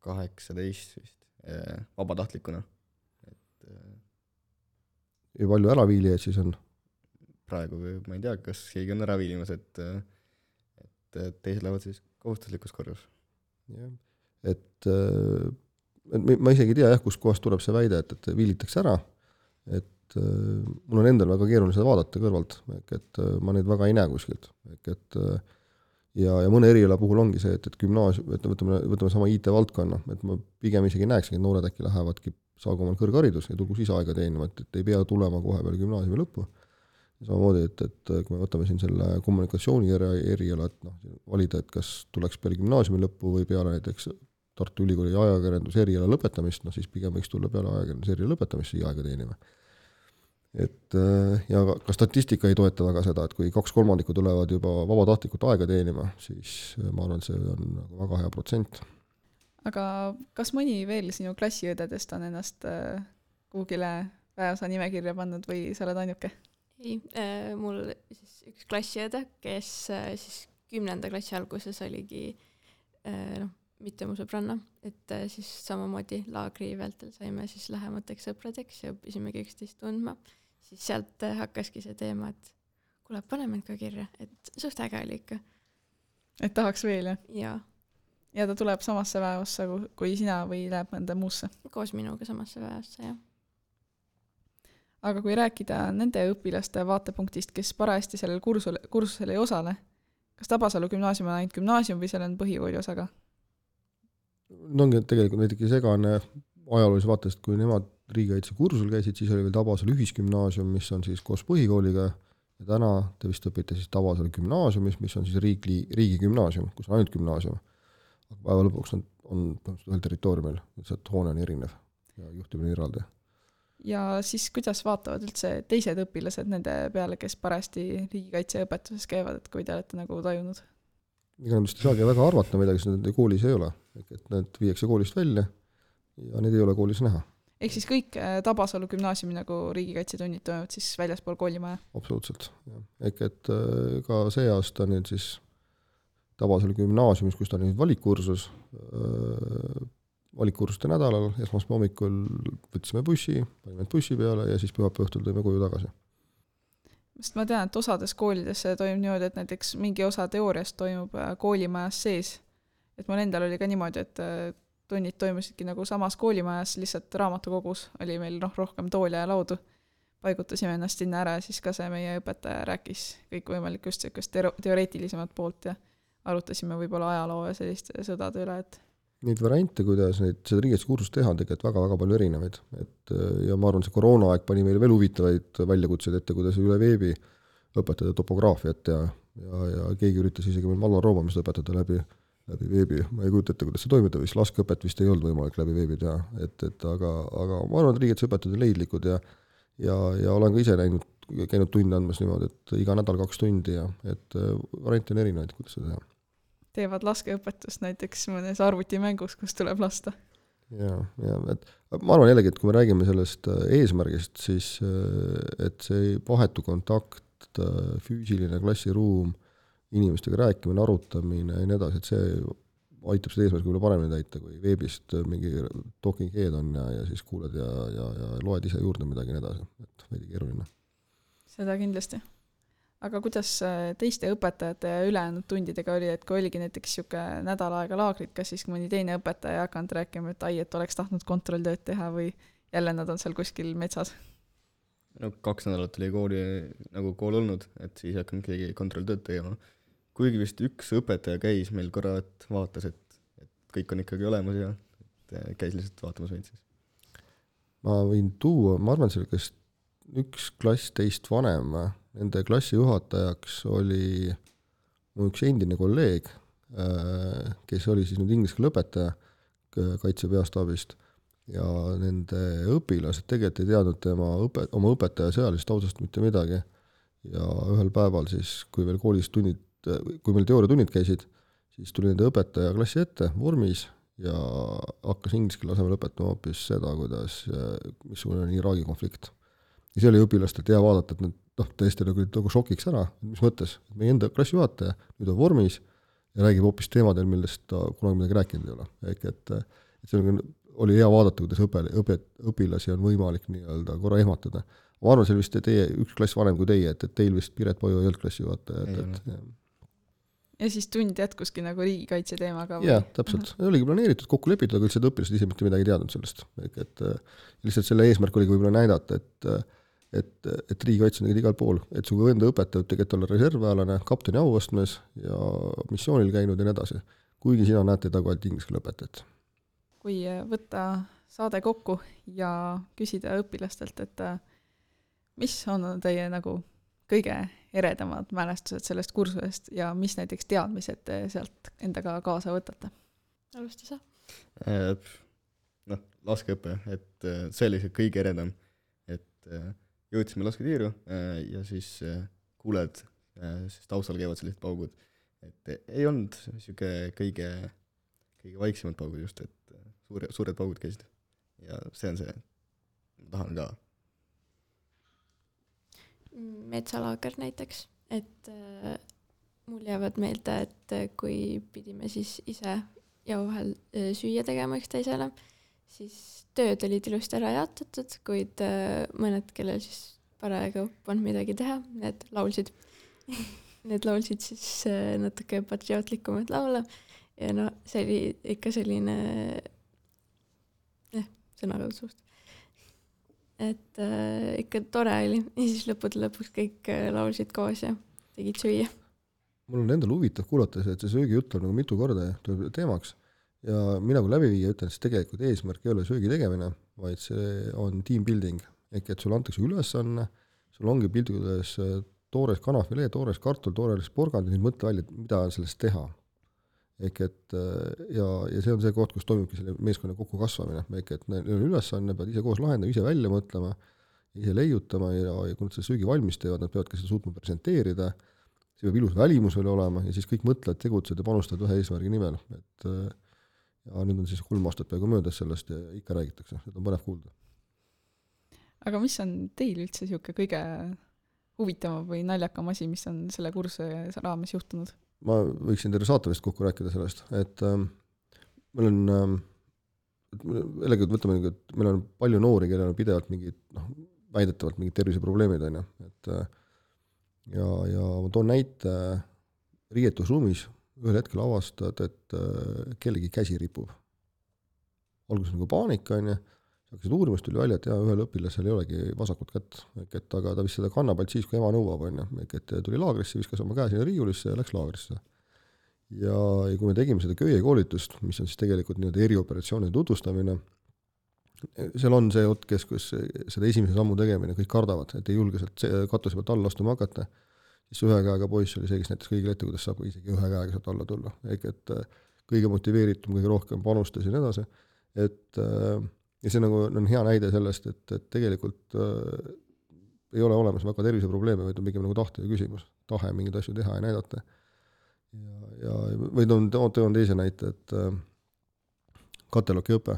kaheksateist vist, vabatahtlikuna. Et, ja palju äraviilijaid siis on? Praegu ma ei tea, kas keegi on ära viilimas, et, et teised lähevad siis kohustuslikus korras. Ja. Et, et ma isegi ei tea, jah, kus kohast tuleb see väide, et, et viilitakse ära, et et mul on endal väga keeruline seda vaadata kõrvalt, et ma neid väga ei näe kuskilt. Et, ja, ja mõne eriala puhul ongi see, et, et gümnaasium, et võtame, võtame sama I T-valdkonna, et ma pigem isegi näeksin, et noored äkki lähevadki, saagu omal kõrgharidus ja tulgu siis aega teenima, et, et ei pea tulema kohe peale gümnaasiumi lõppu. Samamoodi, et, et kui me võtame siin selle kommunikatsiooni eriala, et noh, valida, et kas tuleks peale gümnaasiumi lõppu või peale näiteks Tartu Ülikooli ajakirjanduse eriala lõpetamist, no siis pigem võiks tulla peale ajakirjanduse eriala lõpetamist siia aega teenima. Et, ja ka statistika ei toeta väga seda, et kui kaks kolmandikku tulevad juba vabatahtlikult aega teenima, siis ma arvan, et see on väga hea protsent. Aga kas mõni veel sinu klassiõdedest on ennast kuhugile väeosa nimekirja pannud või sa oled ainuke? Ei, äh, mul siis üks klassiõde, kes äh, siis kümnenda klassi alguses oligi äh, noh, mitte mu sõbranna, et äh, siis samamoodi laagri vältel saime siis lähemateks sõpradeks ja õppisimegi üksteist tundma. Siis sealt äh, hakkaski see teema, et kuule, paneme ka kirja, et suht äge oli ikka. Et tahaks veel, jah? Jaa. Ja ta tuleb samasse väeossa kui sina või läheb mõnda muusse? Koos minuga samasse väeossa, jah. Aga kui rääkida nende õpilaste vaatepunktist, kes parajasti sellel kursusel, kursusel ei osale, kas Tabasalu gümnaasium on ainult gümnaasium või seal on põhikooli osa ka? No ongi tegelikult näiteks segane ajaloolise vaatest, kui nemad riigikaitse kursusel käisid, siis oli veel Tabasalu ühisgümnaasium, mis on siis koos põhikooliga ja täna te vist õpite siis Tabasalu gümnaasiumis, mis on siis riigi, riigi gümnaasium, kus on ainult gümnaasium. Aga päeva lõpuks on, on ühel territooriumil, see hoone on erinev ja juhtimine eraldi. Ja siis kuidas vaatavad üldse teised õpilased nende peale, kes parasti riigikaitseõpetuses käivad, et kui te olete nagu tajunud? Ega nad vist ei saagi väga arvata midagi, sest need koolis ei ole. Et need viiakse koolist välja ja need ei ole koolis näha. Ehk siis kõik Tabasalu gümnaasiumi nagu riigikaitsetunnid toimuvad siis väljaspool koolimaja? Absoluutselt. Ehk et ka see aasta nüüd siis Tabasalu gümnaasiumis, kus ta on nüüd valikkursus, valikkursuste nädalal, esmaspäeva hommikul võtsime bussi, panime bussi peale ja siis pühapäeva õhtul tõime koju tagasi. Sest ma tean, et osades koolides see toimub niimoodi, et näiteks mingi osa teooriast toimub koolimajas sees. Et mul endal oli ka niimoodi, et tunnid toimusidki nagu samas koolimajas, lihtsalt raamatukogus oli meil noh, rohkem tooli ja laudu. Paigutasime ennast sinna ära ja siis ka see meie õpetaja rääkis kõik võimalik just teoreetilisemat poolt ja arutasime võib-olla ajaloo ja selliste sõdade üle, et neid variante, kuidas neid, seda riigikaitsekursus teha on tegelikult väga-väga palju erinevaid. Et, ja ma arvan, see koroonaaeg pani meile veel huvitavaid väljakutseid ette, kuidas üle veebi õpetada topograafiat ja, ja, ja keegi üritas isegi meil Malva roomamist õpetada läbi, läbi veebi. Ma ei kujuta ette, kuidas see toimida, vist laskeõpet vist ei olnud võimalik läbi veebi teha. Et, et, aga, aga ma arvan, et riigikaitseõpetajad on leidlikud ja, ja, ja olen ka ise näinud, käinud tunde andmas niimoodi, et iga nädal kaks tundi ja et variante on erinevaid, kuidas seda teha. Teevad laskeõpetust näiteks mõnes arvutimängus, kus tuleb lasta. Ja, ja et ma arvan jällegi, et kui me räägime sellest eesmärgist, siis et see vahetu kontakt, füüsiline klassiruum, inimestega rääkimine, arutamine ja nii edasi, et see aitab seda eesmärgi võib-olla paremini täita, kui veebist mingi talking head on ja, ja siis kuuled ja, ja, ja loed ise juurde midagi nii edasi, et veidi keeruline. Seda kindlasti. Aga kuidas teiste õpetajate ja ülejäänud tundidega oli, et kui oligi näiteks siuke nädal aega laagrit, kas siis mõni teine õpetaja hakanud rääkima, et ai, et oleks tahtnud kontrolltööd teha või jälle nad on seal kuskil metsas? No kaks nädalat oli kooli, nagu kool olnud, et siis hakanud keegi kontrolltööd tegema. Kuigi vist üks õpetaja käis meil korra, et vaatas, et, et kõik on ikkagi olemas ja et käis lihtsalt vaatamas meid siis. Ma võin tuua, ma arvan, selle, kes üks klass teist vanem, nende klassi juhatajaks oli mu üks endine kolleeg, kes oli siis nüüd inglise keele õpetaja kaitsepeastaabist ja nende õpilased tegelikult ei teadnud tema õpe, oma õpetaja sõjalist taustast mitte midagi ja ühel päeval siis, kui veel koolis tunnid, kui meil teooriatunnid käisid, siis tuli nende õpetaja klassi ette vormis ja hakkas inglise keele asemel õpetama hoopis seda, kuidas, missugune on Iraagi konflikt. Ja see oli õpilastelt hea vaadata, et nad noh, tõesti nagu, nagu šokiks ära, mis mõttes, et meie enda klassijuhataja nüüd on vormis ja räägib hoopis teemadel, millest ta kunagi midagi rääkinud ei ole. Ehk et, et see oli hea vaadata, kuidas õpe, õpe, õpilasi on võimalik nii-öelda korra ehmatada. Ma arvan, see vist teie üks klass vanem kui teie, et, et teil vist Piret Poju ei olnud klassijuhataja. Et, et, ja. ja siis tund jätkuski nagu riigikaitse teemaga? Jah, täpselt. Uh-huh. Oligi planeeritud, kokku lepitud, aga üldse õpilased ise mitte midagi teadnud sellest. Et, et lihtsalt selle eesmärk oligi võib-olla näidata, et et, et riigikaitse on igal pool, et su enda õpetaja võib tegelikult olla reservväelane, kapteni auastmes ja missioonil käinud ja nii edasi. Kuigi sina näed teda kui ainult inglise keele õpetajat. Kui võtta saade kokku ja küsida õpilastelt, et mis on teie nagu kõige eredamad mälestused sellest kursusest ja mis näiteks teadmised te sealt endaga kaasa võtate? Alusta sa. Noh, laskeõpe, et see oli see kõige eredam, et jõudsime lasketiiru ja siis kuuled, siis taustal käivad sellised paugud, et ei olnud siuke kõige, kõige vaiksemad paugud just, et suure, suured paugud käisid ja see on see, ma tahan ka. Metsalaager näiteks, et äh, mul jäävad meelde, et kui pidime siis ise ja vahel äh, süüa tegema üks teisele, siis tööd olid ilusti ära jaotatud, kuid äh, mõned, kellel siis paraegu polnud midagi teha, need laulsid. Need laulsid siis äh, natuke patriootlikumad laule ja no see oli ikka selline eh, sõnakasuust. Et äh, ikka tore oli ja siis lõppude lõpuks kõik äh, laulsid koos ja tegid süüa. Mul on endal huvitav kuulata see, et see söögijutt on nagu mitu korda tuleb teemaks ja mina kui läbiviija ütlen, et tegelikult eesmärk ei ole söögi tegemine, vaid see on team building, ehk et sul antakse ülesanne, sul ongi pildudes toores kanafilee, toores kartul, toores porgand ja nüüd mõtle välja, mida sellest teha. Ehk et ja, ja see on see koht, kus toimubki selle meeskonna kokku kasvamine, ehk et neil on ülesanne, peavad ise koos lahendama, ise välja mõtlema, ise leiutama ja, ja kui nad seda söögi valmis teevad, nad peavad ka seda suutma presenteerida, see peab ilus välimus veel olema ja siis kõik mõtlevad, tegutsed ja panustavad ühe eesmärgi nimel. Et, ja nüüd on siis kolm aastat peaaegu möödas sellest ja ikka räägitakse, seda on põnev kuulda. Aga mis on teil üldse siuke kõige huvitavam või naljakam asi, mis on selle kursuse raames juhtunud? Ma võiksin teile saate vist kokku rääkida sellest, et ähm, meil on ähm, jällegi võtame, et meil on palju noori, kellel on pidevalt mingid, noh, väidetavalt mingid terviseprobleemid on ju, et ja, ja ma toon näite riietusruumis, ühel hetkel avastad, et äh, kellegi käsi ripub. Alguses nagu paanika on ju, hakkasid uurimast tuli välja, et jah, ühel õpilasel ei olegi vasakut kätt, et aga ta vist seda kannab ainult siis, kui ema nõuab, on ju, et tuli laagrisse, viskas oma käe sinna riiulisse ja läks laagrisse. Ja, ja kui me tegime seda köie koolitust, mis on siis tegelikult nii-öelda erioperatsioonide tutvustamine, seal on see oot, kes, kus seda esimese sammu tegemine kõik kardavad, et ei julge sealt katuse pealt alla astuma hakata, siis ühe käega poiss oli see, kes näiteks kõigile ette, kuidas saab isegi ühe käega sealt alla tulla. Ehk et kõige motiveeritum, kõige rohkem panustas ja nii edasi, et ja see nagu on hea näide sellest, et, et tegelikult äh, ei ole olemas väga terviseprobleeme, vaid on pigem nagu tahte ja küsimus, tahe mingeid asju teha ja näidata. Ja, ja või toon, toon teise näite, et äh, kateloki õpe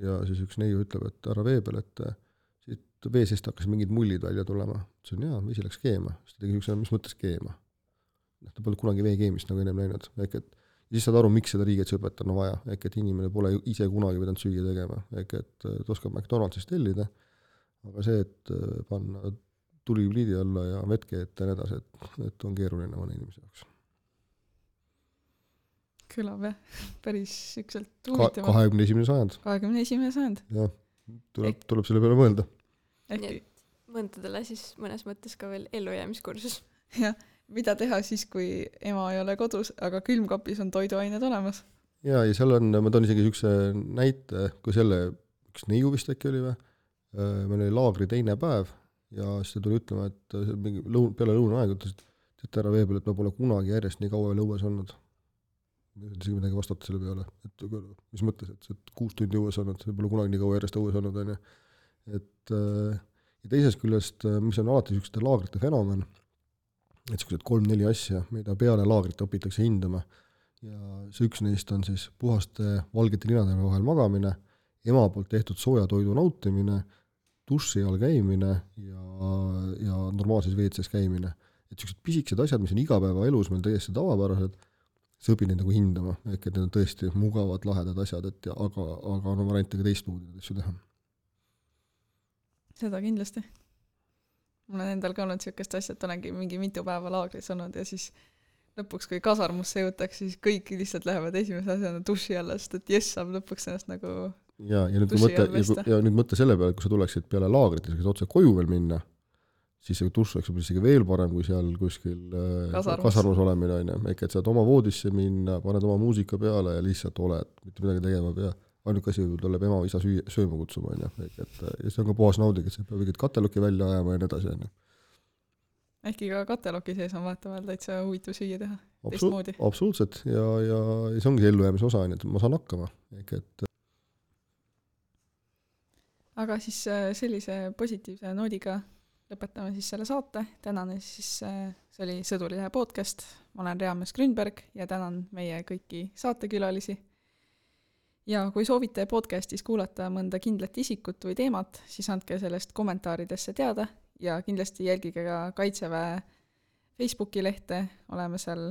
ja siis üks neiu ütleb, et ära vee peal, et äh, siit vee seest hakkas mingid mullid välja tulema. See on hea, vesi läks keema. Siis ta tegi üks, mis mõttes keema? Ta pole kunagi vee keemist nagu ennem näinud. Ehk et siis saad aru, miks seda riigikaitseõpet on vaja, ehk et inimene pole ise kunagi pidanud süüa tegema, ehk et ta oskab McDonaldsist tellida, aga see, et panna tuli pliidi alla ja vetke ette ja edasi, et, et on keeruline mõne inimese jaoks. Kõlab jah, päris ükselt huvitavalt. kahekümne esimene sajand. kahekümne esimene sajand. Jah, tuleb, tuleb selle peale mõelda. Ehk mõndadele siis mõnes mõttes ka veel ellujäämiskursus. Jah. Mida teha siis, kui ema ei ole kodus, aga külmkapis on toiduained olemas? Ja, ja seal on, ma toon isegi üks näite, kui selle, üks neiu vist äkki oli või, meil oli laagri teine päev ja siis ta tuli ütlema, et lõun, peale lõunaaeg ütles, et ära vee peal, et ma pole kunagi järjest nii kaua veel õues olnud. Ma ei isegi midagi vastata selle peale, et mis mõttes, et, et kuus tundi õues olnud, see pole kunagi nii kaua järjest õues olnud. On, et, ja teisest küljest, mis on alati niisuguste laagrite fenomen, et sellised kolm-neli asja, mida peale laagrit õpitakse hindama ja see üks neist on siis puhaste valgete linade vahel magamine, ema poolt tehtud sooja toidu nautimine, duši all käimine ja, ja normaalses veetses käimine. Et sellised pisikesed asjad, mis on igapäevaelus meil täiesti tavapärased, see õpib neid nagu hindama, ehk et need on tõesti mugavad, lahedad asjad, et ja, aga, aga on variante ka teistmoodi asju teha. Seda kindlasti. Mul on endal ka olnud siukest asja, et olengi mingi mitu päeva laagris olnud ja siis lõpuks, kui kasarmusse jõutakse, siis kõik lihtsalt lähevad esimese asjana duši alla, sest et jess saab lõpuks ennast nagu ja, ja, nüüd mõtte, ja, ja nüüd mõtte selle peale, kui sa tuleksid peale laagrit ja otse koju veel minna, siis see dušš oleks võib-olla isegi veel parem, kui seal kuskil Kasarmus. kasarmus olemine, on ju, ehk et saad oma voodisse minna, paned oma muusika peale ja lihtsalt oled, mitte midagi tegema pea. Ainuke asi võib tuleb ema isa süüa, sööma kutsuma, on ju, ehk et ja see on ka puhas nauding, et see peab mingit kateloki välja ajama ja nii edasi, on ju. Ehkki ka kateloki sees on vaataval täitsa huvitav süüa teha Absolu- teistmoodi. Absoluutselt, ja, ja, ja see ongi ellujäämise osa, on ju, et ma saan hakkama, ehk et Aga siis sellise positiivse noodiga lõpetame siis selle saate. Tänane siis see oli Sõdurilehe podcast. Ma olen Reames Grünberg ja tänan meie kõiki saatekülalisi. Ja kui soovite podcastis kuulata mõnda kindlat isikut või teemat, siis andke sellest kommentaaridesse teada ja kindlasti jälgige ka Kaitseväe Facebooki lehte. Oleme seal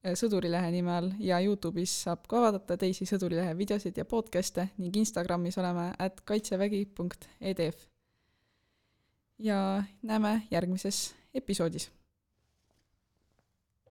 Sõdurilehe nime all ja YouTube'is saab ka vaadata teisi Sõdurilehe videosid ja podcaste ning Instagramis oleme at kaitsevägi punkt e d f. Ja näeme järgmises episoodis.